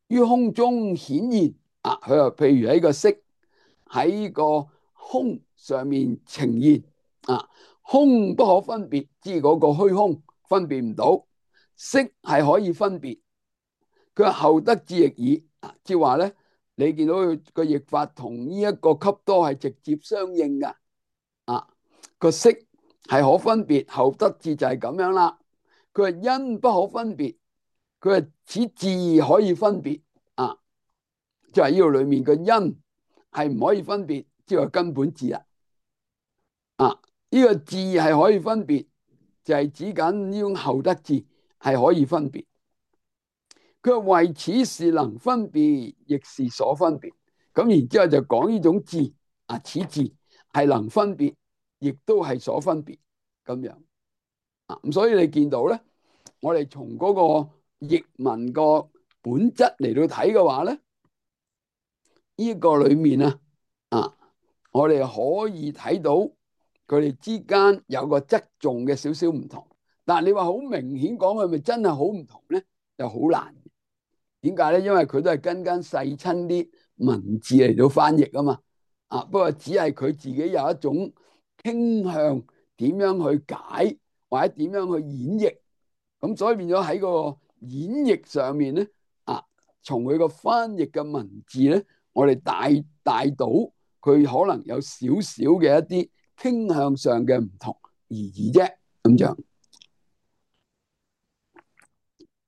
於空中顯現啊，佢話譬如喺個色喺個空上面呈現啊，空不可分別，即係嗰個虛空分別唔到，色係可以分別。佢話後得智亦爾，即係話咧，你見到佢個譯法同呢一個笈多係直接相應噶啊，個色係可分別，後得智就係咁樣啦。佢話因不可分別，佢話此智可以分別啊，即係呢度裏面個因係唔可以分別，即係根本智啦。啊，呢個智係可以分別，就係指緊呢種後得智係可以分別。佢話為此是能分別，亦是所分別。咁然之後就講呢種智啊，此智係能分別，亦都係所分別咁樣啊。咁所以你見到咧，我哋從嗰個譯文個本質嚟到睇嘅話咧，呢個裏面啊啊，我哋可以睇到佢哋之間有個側重嘅少少唔同。但係你話好明顯講係咪真係好唔同咧？就好難。點解咧？因為佢都係跟細親啲文字嚟到翻譯啊嘛。啊，不過只係佢自己有一種傾向，點樣去解或者點樣去演繹。咁所以變咗喺個演繹上面咧，啊，從佢個翻譯嘅文字咧，我哋帶到佢可能有少少嘅一啲傾向上嘅唔同而已啫。咁樣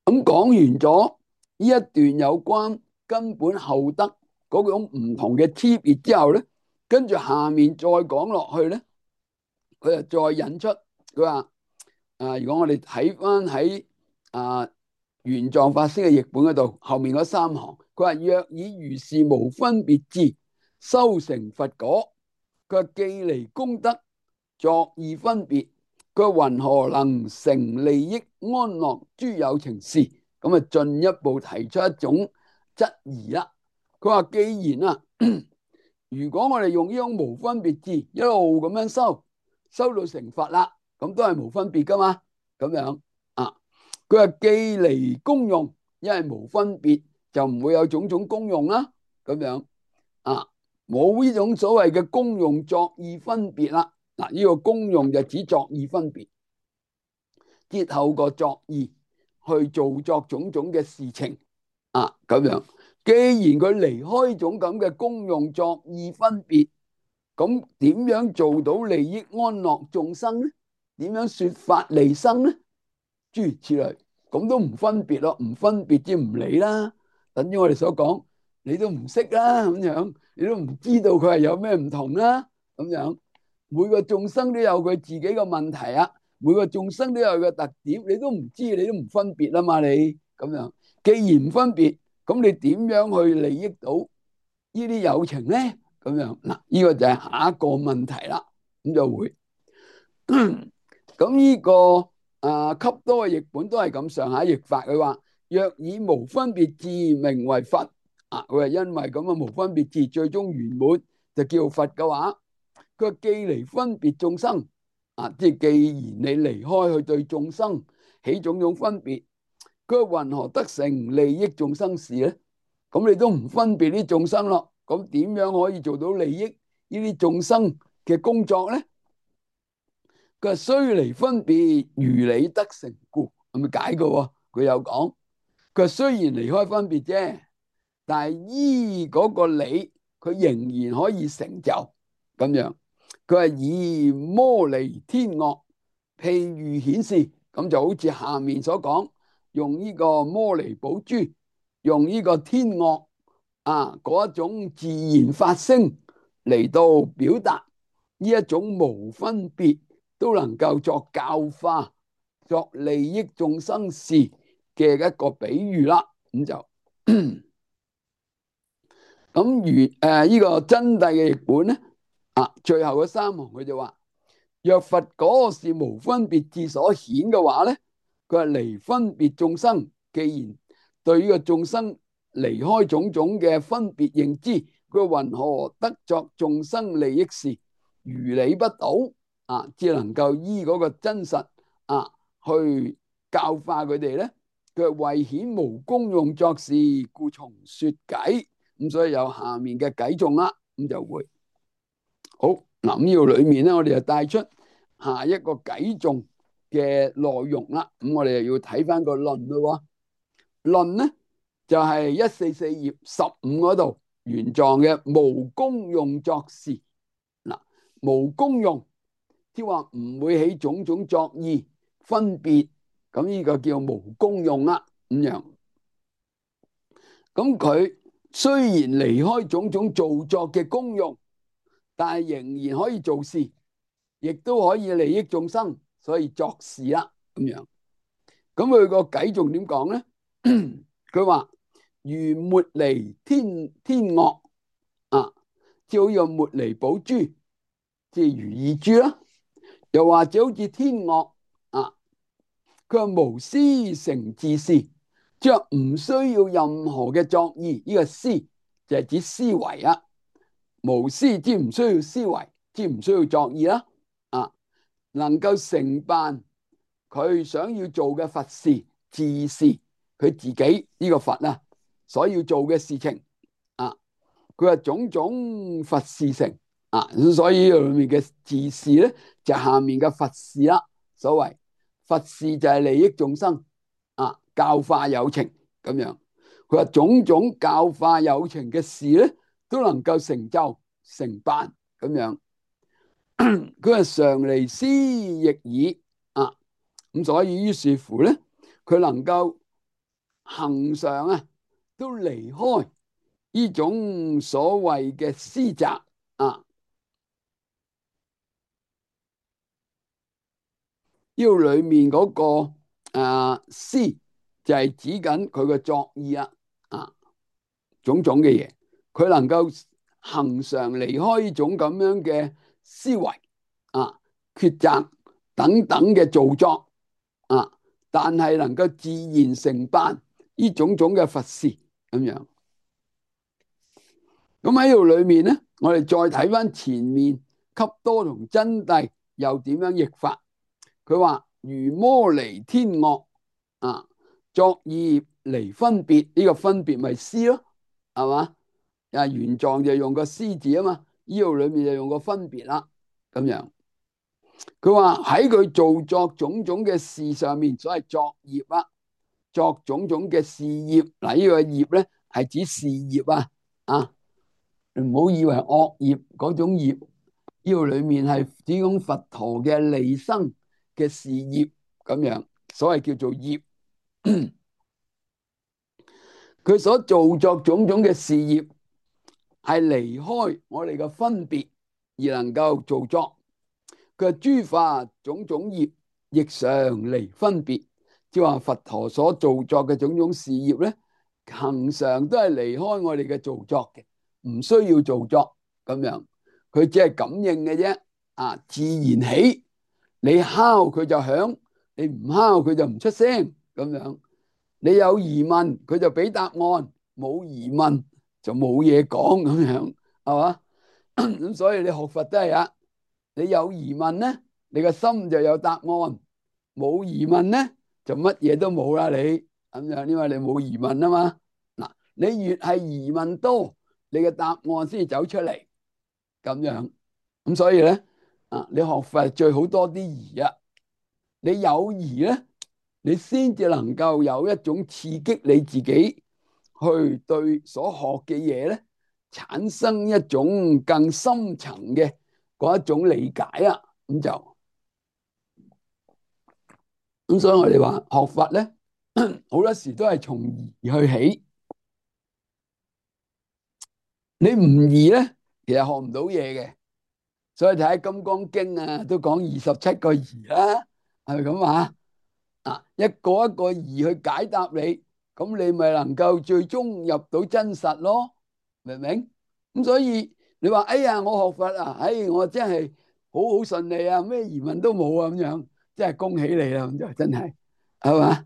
咁講完咗呢一段有關根本後德嗰種唔同嘅區別之後咧，跟住下面再講落去咧，佢就再引出佢話如果我哋睇翻喺玄奘法師嘅譯本嗰度，後面嗰三行，佢話若以如是無分別智修成佛果，佢話既離功德作意分別，佢話云何能成利益安樂諸有情事？咁啊進一步提出一種質疑啦。佢話既然如果我哋用呢種無分別智一路咁樣修到成佛啦，咁都係無分別噶嘛？咁樣啊，佢話既離功用，因為無分別就唔會有種種功用啦。咁樣啊，冇呢種所謂嘅功用作意分別啦。嗱，呢個功用就指作意分別，即透過作意去做作種種嘅事情啊。咁樣，既然佢離開種咁嘅功用作意分別，咁點樣做到利益安樂眾生咧？點樣說法利生咧？諸如此類，咁都唔分別咯，唔分別即唔理啦。等於我哋所講，你都唔識啦，咁樣你都唔知道佢係有咩唔同啦。咁樣每個眾生都有佢自己嘅問題啊，每個眾生都有個特點，你都唔知，你都唔分別啊嘛。你咁樣，既然唔分別，咁你點樣去利益到呢啲有情咧？咁樣嗱，呢個就係下一個問題啦。咁就會咁呢個笈多嘅譯本都係咁上下譯法。佢話若以無分別智名為佛，佢係因為咁嘅無分別智最終圓滿就叫佛嘅話，佢既離分別眾生即係既然你離開去對眾生起種種分別，佢云何得成利益眾生事咧？咁你都唔分別啲眾生咯，咁點樣可以做到利益呢啲眾生嘅工作咧？佢話雖離分別，如理得成故，係咪解嘅？佢有講，佢話雖然離開分別啫，但係依嗰個理，佢仍然可以成就咁樣。佢話以摩尼天樂譬喻顯示，咁就好似下面所講，用呢個摩尼寶珠，用呢個天樂嗰一種自然發聲嚟到表達呢一種無分別，都能夠作教化、作利益眾生事嘅一個比喻啦。咁就咁如呢個真諦嘅譯本咧，最後嗰三行佢就話：若佛果是無分別智所顯嘅話咧，佢係離分別眾生。既然對呢個眾生離開種種嘅分別認知，佢云何得作眾生利益事？如理不倒只能夠依嗰個真實去教化佢哋咧。佢為顯無功用作事，故從說偈。咁所以有下面嘅偈頌啦。咁就會好嗱。呢度裏面咧，我哋就帶出下一個偈頌嘅內容啦。咁我哋又要睇翻個論咯。論咧就係144頁15嗰度，玄奘嘅無功用作事。嗱，無功用即係話唔會起種種作意分別，咁呢個叫無功用啦。咁樣，咁佢雖然離開種種造作嘅功用，但係仍然可以做事，亦都可以利益眾生，所以作事啦。咁樣，咁佢個偈仲點講咧？佢話如茉莉天樂即好似茉莉寶珠，即係如意珠啦。又或者好似天樂佢話無思成自事，即係唔需要任何嘅作意。呢個思就係指思維無思即唔需要思維，即唔需要作意啦。啊，能夠成辦佢想要做嘅佛事、自事，佢自己呢個佛啊所要做嘅事情啊，佢話種種佛事成啊，所以裏面嘅自事咧就下面嘅佛事啦。所謂佛事就係利益眾生啊，教化有情咁樣。佢話種種教化有情嘅事咧，都能夠成就成辦咁樣。佢話常離師亦爾啊，咁所以於是乎咧，佢能夠恒常啊，都離開呢種所謂嘅師宅啊。呢度裏面嗰個師就係指緊佢嘅作意啊，種種嘅嘢，佢能夠恒常離開呢種咁樣嘅思維啊、抉擇等等嘅造作啊，但係能夠自然成辦呢種種嘅佛事咁樣。咁喺度裏面咧，我哋再睇翻前面笈多同真諦又點樣譯法？佢話如魔離天樂啊，作意離分別，呢、這個分別咪思咯，係嘛？原狀就用個思字啊嘛，呢度裏面就用個分別啦，咁樣。佢話喺佢做作種種嘅事上面，所謂作業啊，作種種嘅事業，嗱、這、呢個業咧係指事業啊，唔好以為惡業嗰種業，呢度裏面係指講佛陀嘅利生嘅事業咁樣，所謂叫做業。佢所做作種種嘅事業係離開我哋嘅分別而能夠做作。佢諸法種種業亦常離分別，即係話佛陀所做作嘅種種事業咧，恆常都係離開我哋嘅造作嘅，唔需要做作咁樣。佢只係感應嘅啫，自然起，你敲佢就響，你唔敲佢就唔出聲咁樣。你有疑問佢就俾答案，冇疑問就冇嘢講咁樣，係嘛？咁所以你學佛都係啊，你有疑問咧，你個心就有答案；冇疑問咧，就乜嘢都冇啦。你咁樣，因為你冇疑問啊嘛。嗱，你越係疑問多，你嘅答案先至走出嚟咁樣。咁所以咧，你學佛最好多啲疑啊。你有疑咧，你先至能夠有一種刺激你自己去對所學嘅嘢咧，產生一種更深層嘅嗰一種理解啊。咁所以我哋話學佛咧，好多時都係從疑去起。你唔疑咧，其實學唔到嘢嘅。所以睇《金剛經》啊，都講27個疑啦，係咪咁啊？一個一個疑去解答你，咁你咪能夠最終入到真實咯，明唔明？咁所以你話哎呀，我學佛啊，我真係好好順利啊，咩疑問都冇啊，咁樣真係恭喜你啦，咁就真係係嘛？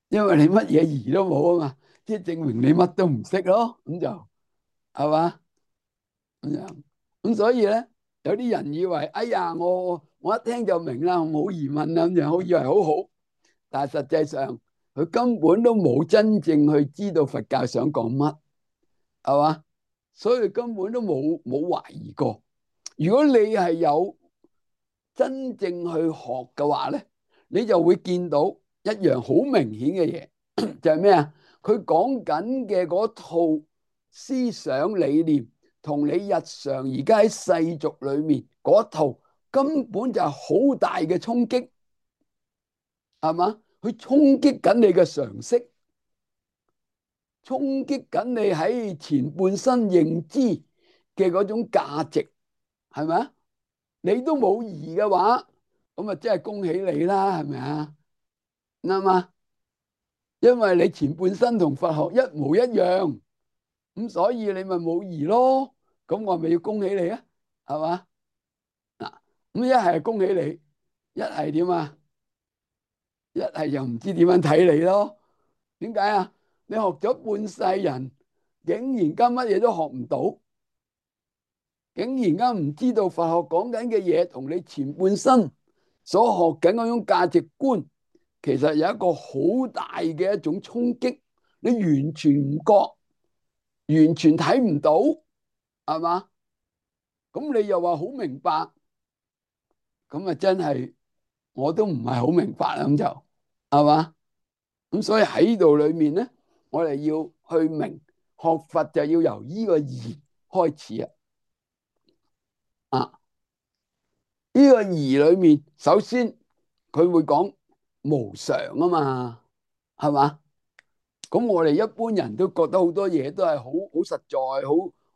因為你乜嘢疑都冇啊嘛，即係證明你乜都唔識咯，咁就係嘛？咁樣咁所以咧，有啲人以為哎呀，我一聽就明啦，冇疑問啦，咁樣好以為好好。但係實際上佢根本都冇真正去知道佛教想講乜，係嘛？所以根本都冇懷疑過。如果你係有真正去學嘅話咧，你就會見到一樣好明顯嘅嘢，就係咩啊？佢講緊嘅嗰套思想理念，同你日常而家喺世俗裏面嗰套根本就係好大嘅衝擊，係嘛？佢衝擊緊你嘅常識，衝擊緊你喺前半生認知嘅嗰種價值，係咪啊？你都冇疑嘅話，咁啊真係恭喜你啦，係咪啊？啱嘛？因為你前半生同佛學一模一樣，咁所以你咪冇疑咯。咁我咪要恭喜你啊，係嘛？嗱，咁一係恭喜你，一係點啊？一係又唔知點樣睇你咯？點解啊？你學咗半世人，竟然間乜嘢都學唔到，竟然間唔知道佛學講緊嘅嘢同你前半生所學緊嗰種價值觀，其實有一個好大嘅一種衝擊，你完全唔覺，完全睇唔到，係嘛？咁你又話好明白，咁啊真係我都唔係好明白啦，咁就係嘛？咁所以喺度裏面咧，我哋要去明學佛就要由呢個義開始啊！啊，呢個義裏面，首先佢會講無常啊嘛，係嘛？咁我哋一般人都覺得好多嘢都係好好實在，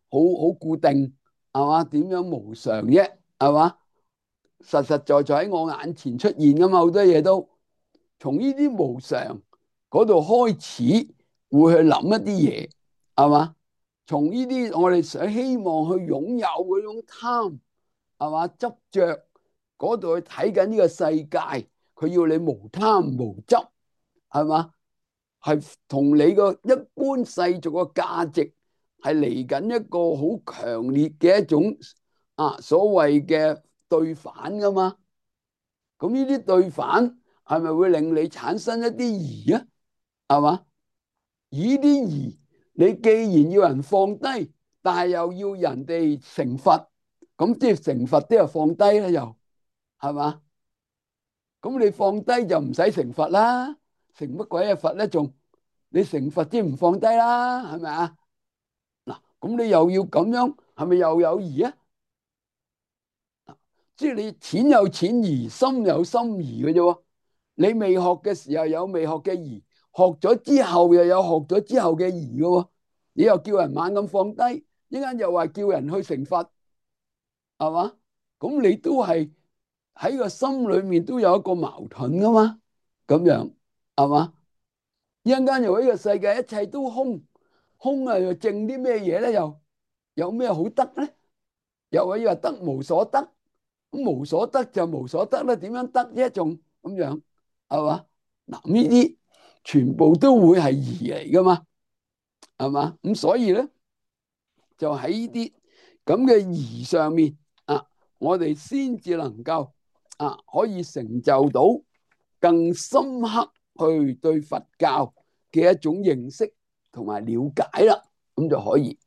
好固定，係嘛？點樣無常啫？係嘛？實實在在喺我眼前出現噶嘛，好多嘢都從呢啲無常嗰度開始會去諗一啲嘢，係嘛？從呢啲我哋想希望去擁有嗰種貪，係嘛？執着嗰度去睇緊呢個世界，佢要你無貪無執，係嘛？係同你個一般世俗嘅價值係嚟緊一個好強烈嘅一種所謂嘅對反噶嘛？咁呢啲對反係咪會令你產生一啲疑啊？係嘛？呢啲疑，你既然要人放低，但係又要人哋成佛，咁即係成佛都要放低啦，又係嘛？咁你放低就唔使成佛啦，成乜鬼嘢佛咧？仲你成佛即唔放低啦，係咪啊？嗱，咁你又要咁樣，係咪又有疑啊？即係你淺有淺疑，深有深疑嘅啫喎。你未學嘅時候有未學嘅疑，學咗之後又有學咗之後嘅疑嘅喎。你又叫人猛咁放低，一陣又話叫人去成佛，係嘛？咁你都係喺個心裏面都有一個矛盾噶嘛？咁樣係嘛？一陣間又話呢個世界一切都空，空啊又剩啲咩嘢咧？又有咩好得咧？又話得無所得，咁無所得就無所得啦，點樣得啫？仲咁樣係嘛？嗱，呢啲全部都會係疑嚟噶嘛？係嘛？咁所以咧，就喺呢啲咁嘅疑上面我哋先至能夠可以成就到更深刻去對佛教嘅一種認識同埋了解啦，咁就可以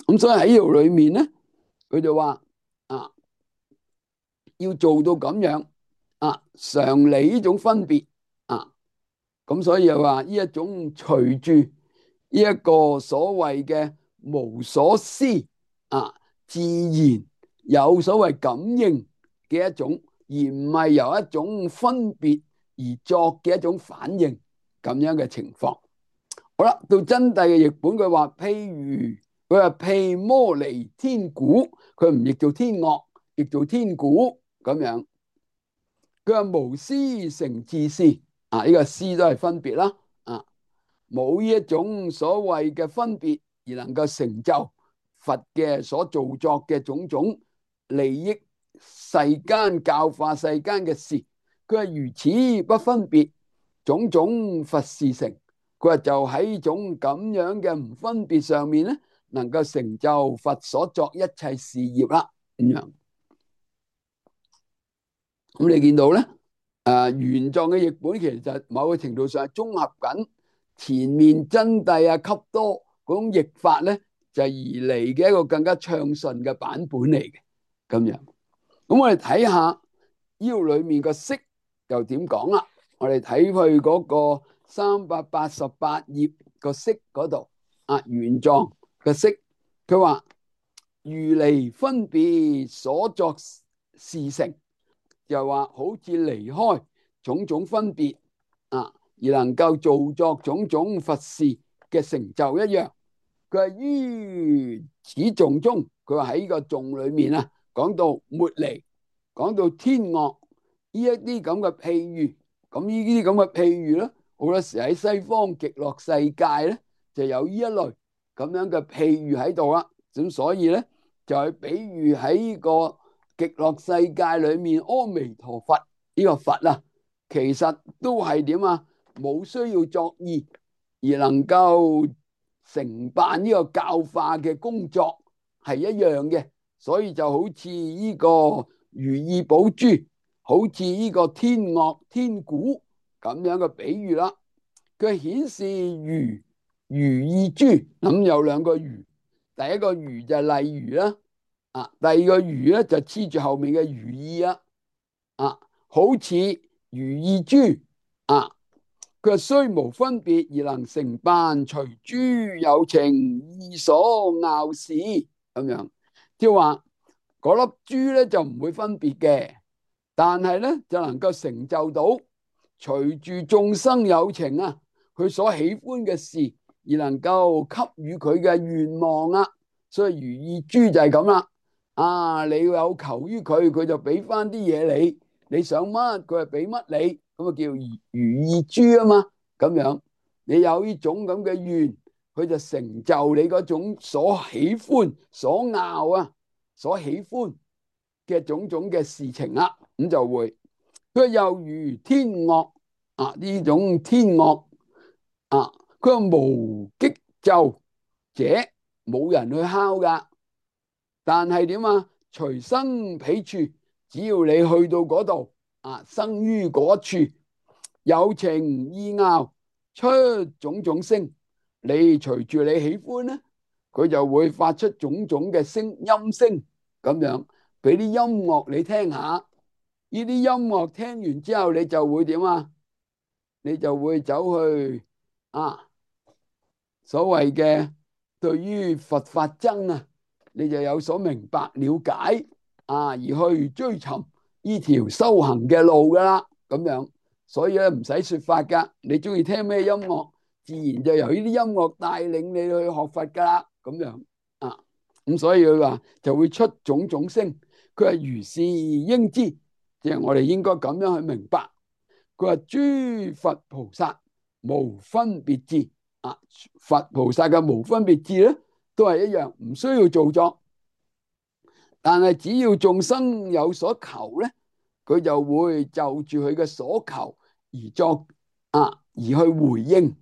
咁所以喺呢度裏面咧，佢就話要做到咁樣常理呢種分別咁所以又話呢一種隨住呢一個所謂嘅無所思自然有所謂感應嘅一種，而唔係由一種分別而作嘅一種反應咁樣嘅情況。好啦，到真諦嘅譯本，佢話譬如佢話譬摩尼天鼓，佢唔譯做天樂，譯做天鼓咁樣。佢話無思成自思呢個思都係分別啦冇呢一種所謂嘅分別而能夠成就佛嘅所造作嘅種種利益世間教化世間嘅事，佢話如此不分別，種種佛事成。佢話就喺呢種咁樣嘅唔分別上面咧，能夠成就佛所作一切事業啦。咁樣，咁你見到咧？原狀嘅譯本其實就某個程度上係綜合緊前面真諦笈多嗰種譯法咧，就而嚟嘅一個更加暢順嘅版本嚟嘅咁樣。咁我哋睇下腰裏面個釋又點講啦？我哋睇去嗰個388頁個釋嗰度原狀嘅釋，佢話如離分別所作事成。又話好似離開種種分別而能夠造作種種佛事嘅成就一樣。佢話於此頌中，佢話喺呢個頌裏面講到末離，講到天樂呢一啲咁嘅譬喻。咁呢啲咁嘅譬喻咧，好多時喺西方極樂世界咧就有呢一類咁樣嘅譬喻喺度啦。咁所以咧就係比喻喺呢個極樂世界裏面，阿彌陀佛呢個佛其實都係點冇需要作意而能夠承辦呢個教化嘅工作係一樣嘅。所以就好似呢個如意寶珠，好似呢個天樂天鼓咁樣嘅比喻啦。佢顯示如意珠，咁有兩個如，第一個如就係例如啦，第二個如咧就黐住後面嘅如意啦，好似如意珠，佢話雖無分別而能成辦，隨諸有情意所拗事咁樣，即係話嗰粒珠咧就唔會分別嘅，但係咧就能夠成就到隨住眾生有情佢所喜歡嘅事而能夠給予佢嘅願望啊，所以如意珠就係咁啦。你有求於佢，佢就俾翻啲嘢你，你想乜佢就俾乜你，咁啊叫如意珠啊嘛。咁樣你有呢種咁嘅願，佢就成就你嗰種所喜歡、所拗所喜歡嘅種種嘅事情啦。咁就會佢又如天樂呢種天樂佢話無擊奏者，冇人去敲噶，但係點隨生彼處，只要你去到嗰度生於嗰處，有情意拗出種種聲，你隨住你喜歡咧，佢就會發出種種嘅音聲，咁樣俾啲音樂你聽下。呢啲音樂聽完之後，你就會點你就會走去所謂嘅對於佛法僧你就有所明白了解而去追尋呢條修行嘅路噶啦，咁樣。所以咧唔使說法噶，你中意聽咩音樂，自然就由呢啲音樂帶領你去學佛噶啦，咁樣咁所以佢話就會出種種聲，佢係如是應知，即係我哋應該咁樣去明白。佢話諸佛菩薩無分別智佛菩薩嘅無分別智咧，都係一樣，唔需要造作，但係只要眾生有所求咧，佢就會就住佢嘅所求而作而去回應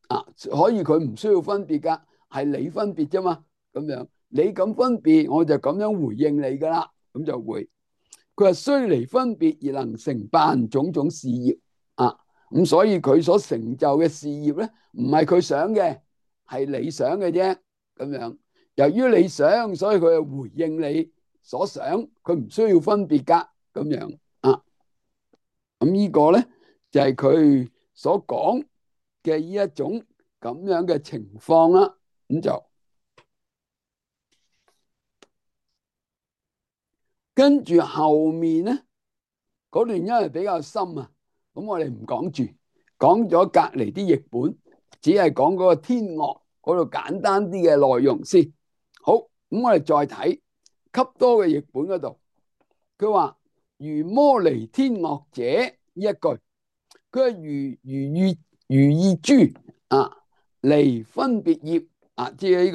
可以佢唔需要分別噶，係你分別啫嘛，咁樣你咁分別，我就咁樣回應你噶啦，咁就會。佢話雖離分別而能成辦種種事業咁所以佢所成就嘅事業咧，唔係佢想嘅，係你想嘅啫，咁樣。由於你想，所以佢就回應你所想，佢唔需要分別噶，咁樣咁呢個咧就係佢所講嘅呢一種咁樣嘅情況啦。咁就跟住後面咧嗰段因為比較深咁我哋唔講住，講咗隔籬啲譯本，只係講嗰個天樂嗰度簡單啲嘅內容先。好，咁我哋再睇笈多嘅譯本嗰度，佢話如摩尼天樂者呢一句，佢係如意珠離分別業即係呢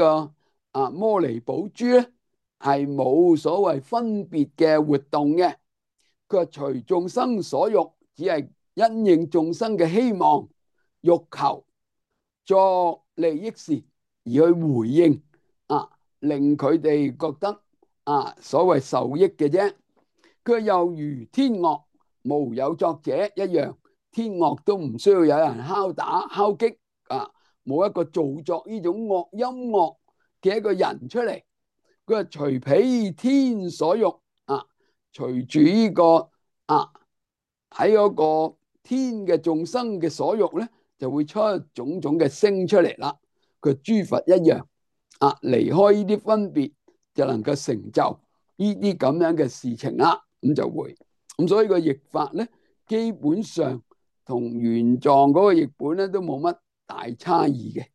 個摩尼寶珠咧，係冇所謂分別嘅活動嘅。佢話隨眾生所欲，只係因應眾生嘅希望欲求作利益事而去回應令佢哋覺得所謂受益嘅啫。佢又如天樂無有作者一樣，天樂都唔需要有人敲打敲擊冇一個造作呢種音樂嘅一個人出嚟。佢話隨彼天所欲隨住呢個喺嗰個天嘅眾生嘅所欲咧，就會出種種嘅聲出嚟啦。佢諸佛一樣離開呢啲分別，就能夠成就呢啲咁樣嘅事情啦。咁就會咁，所以個譯法咧，基本上同原藏嗰個譯本咧都冇乜大差異嘅。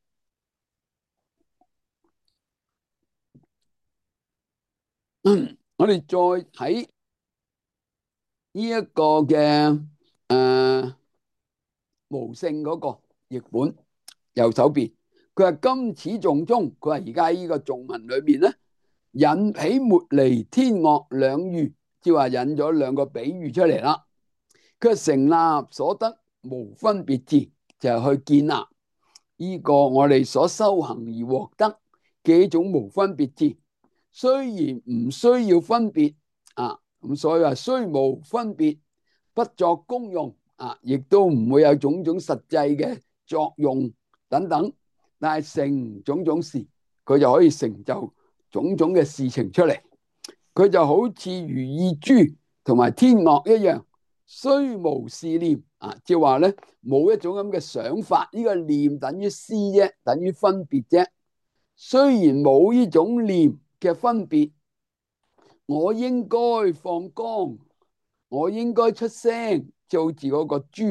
我哋再睇呢一個嘅無性嗰個譯本右手邊，佢話今此頌中，佢話而家呢個頌文裏面咧，引彼末尼天樂兩喻，即係話引咗兩個比喻出嚟啦。佢成立所得無分別智，就係去建立呢個我哋所修行而獲得嘅一種無分別智。雖然唔需要分別啊，咁所以話雖無分別，不作功用啊，亦都唔會有種種實際嘅作用等等，但係成種種事，佢就可以成就種種嘅事情出嚟。佢就好似如意珠同埋天樂一樣，雖無是念啊，即係話咧冇一種咁嘅想法，呢個念等於思啫，等於分別啫。雖然冇呢種念嘅分別，我應該放光，我應該出聲，就好似嗰個珠，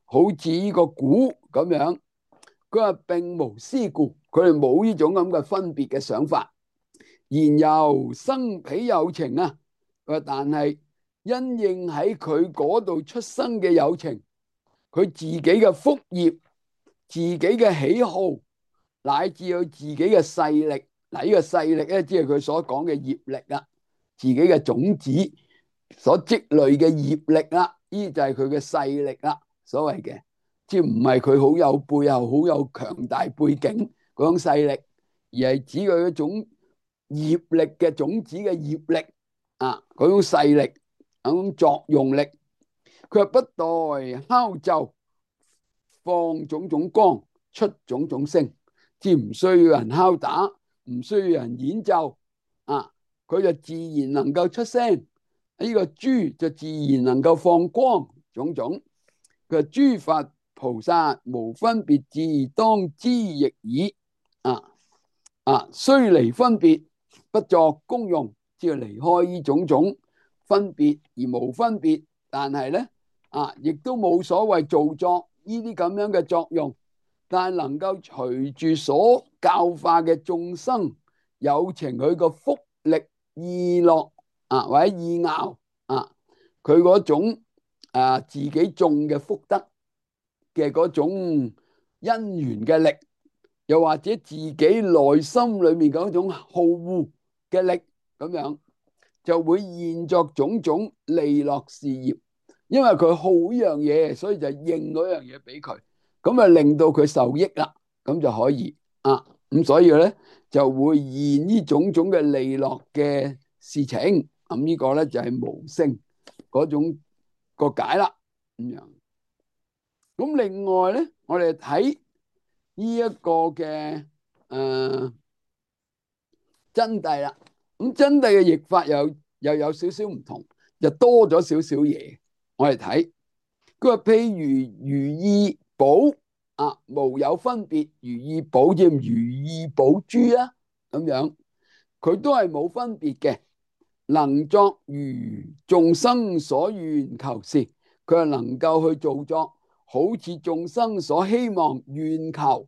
好似呢個鼓咁樣。佢話並無思故，佢哋冇呢種咁嘅分別嘅想法。然由生彼有情啊，但係因應喺佢嗰度出生嘅有情，佢自己嘅福業、自己嘅喜好，乃至佢自己嘅勢力。嗱，呢個勢力咧，即係佢所講嘅業力啦，自己嘅種子所積累嘅業力啦，呢就係佢嘅勢力啦，所謂嘅，即係唔係佢好有背後好有強大背景嗰種勢力，而係指佢嗰種業力嘅種子嘅業力啊，嗰種勢力，嗰種作用力。佢話不待敲奏，放種種光，出種種聲，即係唔需要人敲打，唔需要人演奏啊，佢就自然能夠出聲。呢個珠就自然能夠放光，種種。佢話諸佛菩薩無分別智，當知亦爾。雖離分別，不作功用，即係離開呢種種分別而無分別，但係咧亦都冇所謂造作呢啲咁樣嘅作用，但係能夠隨住所教化嘅眾生有情佢個福力意樂或者意樂佢嗰種自己種嘅福德嘅嗰種因緣嘅力，又或者自己內心裏面嗰種好惡嘅力，咁樣就會現作種種利樂事業。因為佢好呢樣嘢，所以就認嗰樣嘢俾佢，咁啊令到佢受益啦，咁就可以咁所以咧就會現呢種種嘅利樂嘅事情。咁呢個咧就係無聲嗰種個解啦，咁樣。咁另外咧，我哋睇呢一個嘅真諦啦。咁真諦嘅譯法又有少少唔同，就多咗少少嘢。我哋睇佢話，譬如如意寶無有分別，如意寶即如意寶珠啊，咁樣佢都係冇分別嘅，能作如眾生所願求事，佢係能夠去做作好似眾生所希望願求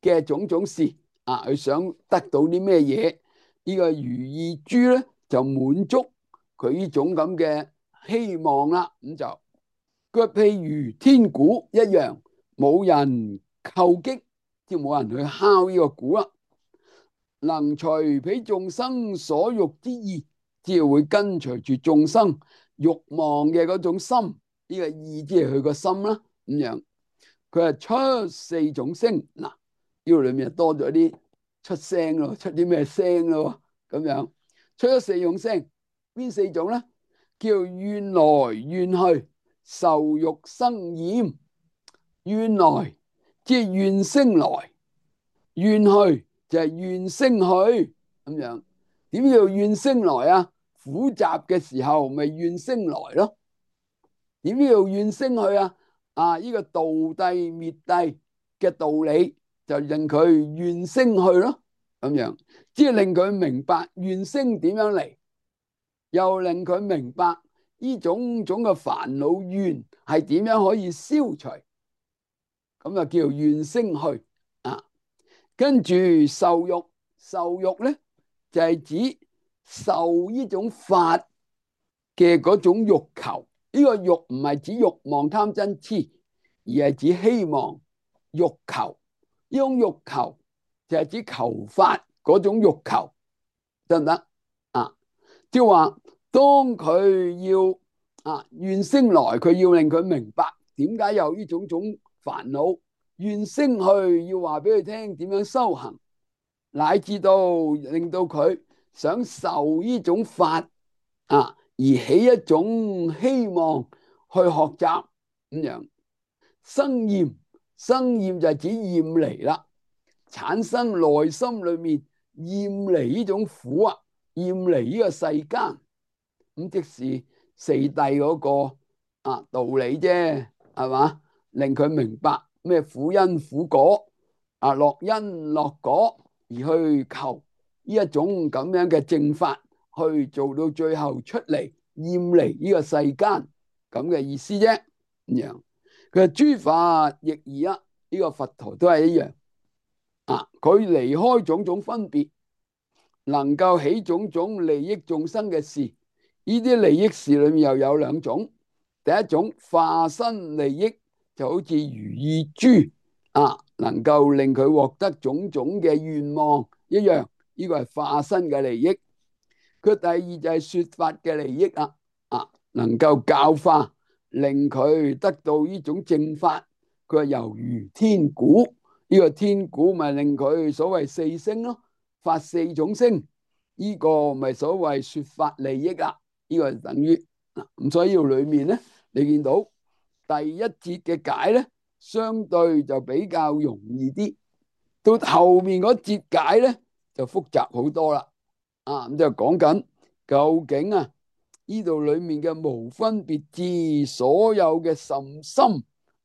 嘅種種事佢想得到啲咩嘢？呢個如意珠咧就滿足佢呢種咁嘅希望啦。咁就佢譬如天鼓一樣，冇人叩擊，即係冇人去敲呢個鼓啦。能隨彼眾生所欲之意，即係會跟隨住眾生欲望嘅嗰種心，呢個意即係佢個心啦。咁樣佢係出四種聲。嗱，呢個裏面多咗啲出聲咯，出啲咩聲咯？咁樣出咗四種聲，邊四種咧？叫願來願去，受欲生厭。願來即係願聲來，願去就係願聲去，咁樣。點叫願聲來啊？苦集嘅時候咪願聲來咯。點叫願聲去啊？呢個道諦滅諦嘅道理就令佢願聲去咯，咁樣即係令佢明白願聲點樣嚟，又令佢明白呢種種嘅煩惱怨係點樣可以消除，咁就叫願聲去跟住受欲，受欲咧就係指受呢種法嘅嗰種欲求。呢個欲唔係指欲望貪嗔癡，而係指希望欲求。呢種欲求就係指求法嗰種欲求，得唔得即係話當佢要願聲來，佢要令佢明白點解有呢種種煩惱。願聲去要話俾佢聽點樣修行，乃至到令到佢想受呢種法而起一種希望去學習咁樣。生厭，生厭就係指厭離啦，產生內心裏面厭離呢種苦厭離呢個世間，咁即是四諦嗰個道理啫，係嘛？令佢明白咩苦因苦果樂因樂果，而去求呢一種咁樣嘅正法，去做到最後出嚟厭離呢個世間咁嘅意思啫。咁樣佢話諸法亦爾呢個佛陀都係一樣佢離開種種分別，能夠起種種利益眾生嘅事。呢啲利益事裏面又有兩種，第一種化身利益，就好似如意珠能夠令佢獲得種種嘅願望一樣，呢個係化身嘅利益。佢第二就係說法嘅利益能夠教化，令佢得到呢種正法。佢話猶如天鼓，呢個天鼓咪令佢所謂四聲咯，發四種聲，呢個咪所謂說法利益啦。呢個就等於咁，所以呢度裏面咧，你見到第一節嘅解咧，相對就比較容易啲，到後面嗰節解咧就複雜好多啦。咁就講緊究竟呢度裏面嘅無分別智所有嘅甚深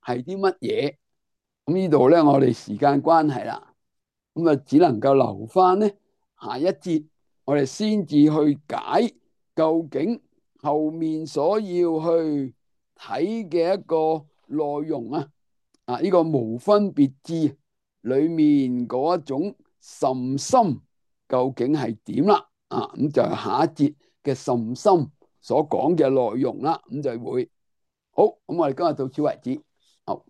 係啲乜嘢？咁呢度咧，我哋時間關係啦，咁只能夠留翻咧下一節，我哋先至去解究竟後面所要去睇嘅一個內容呢個無分別智裏面嗰一種甚深究竟係點啦？咁就係下一節嘅甚深所講嘅內容啦。咁就會好，咁我哋今日到此為止。好。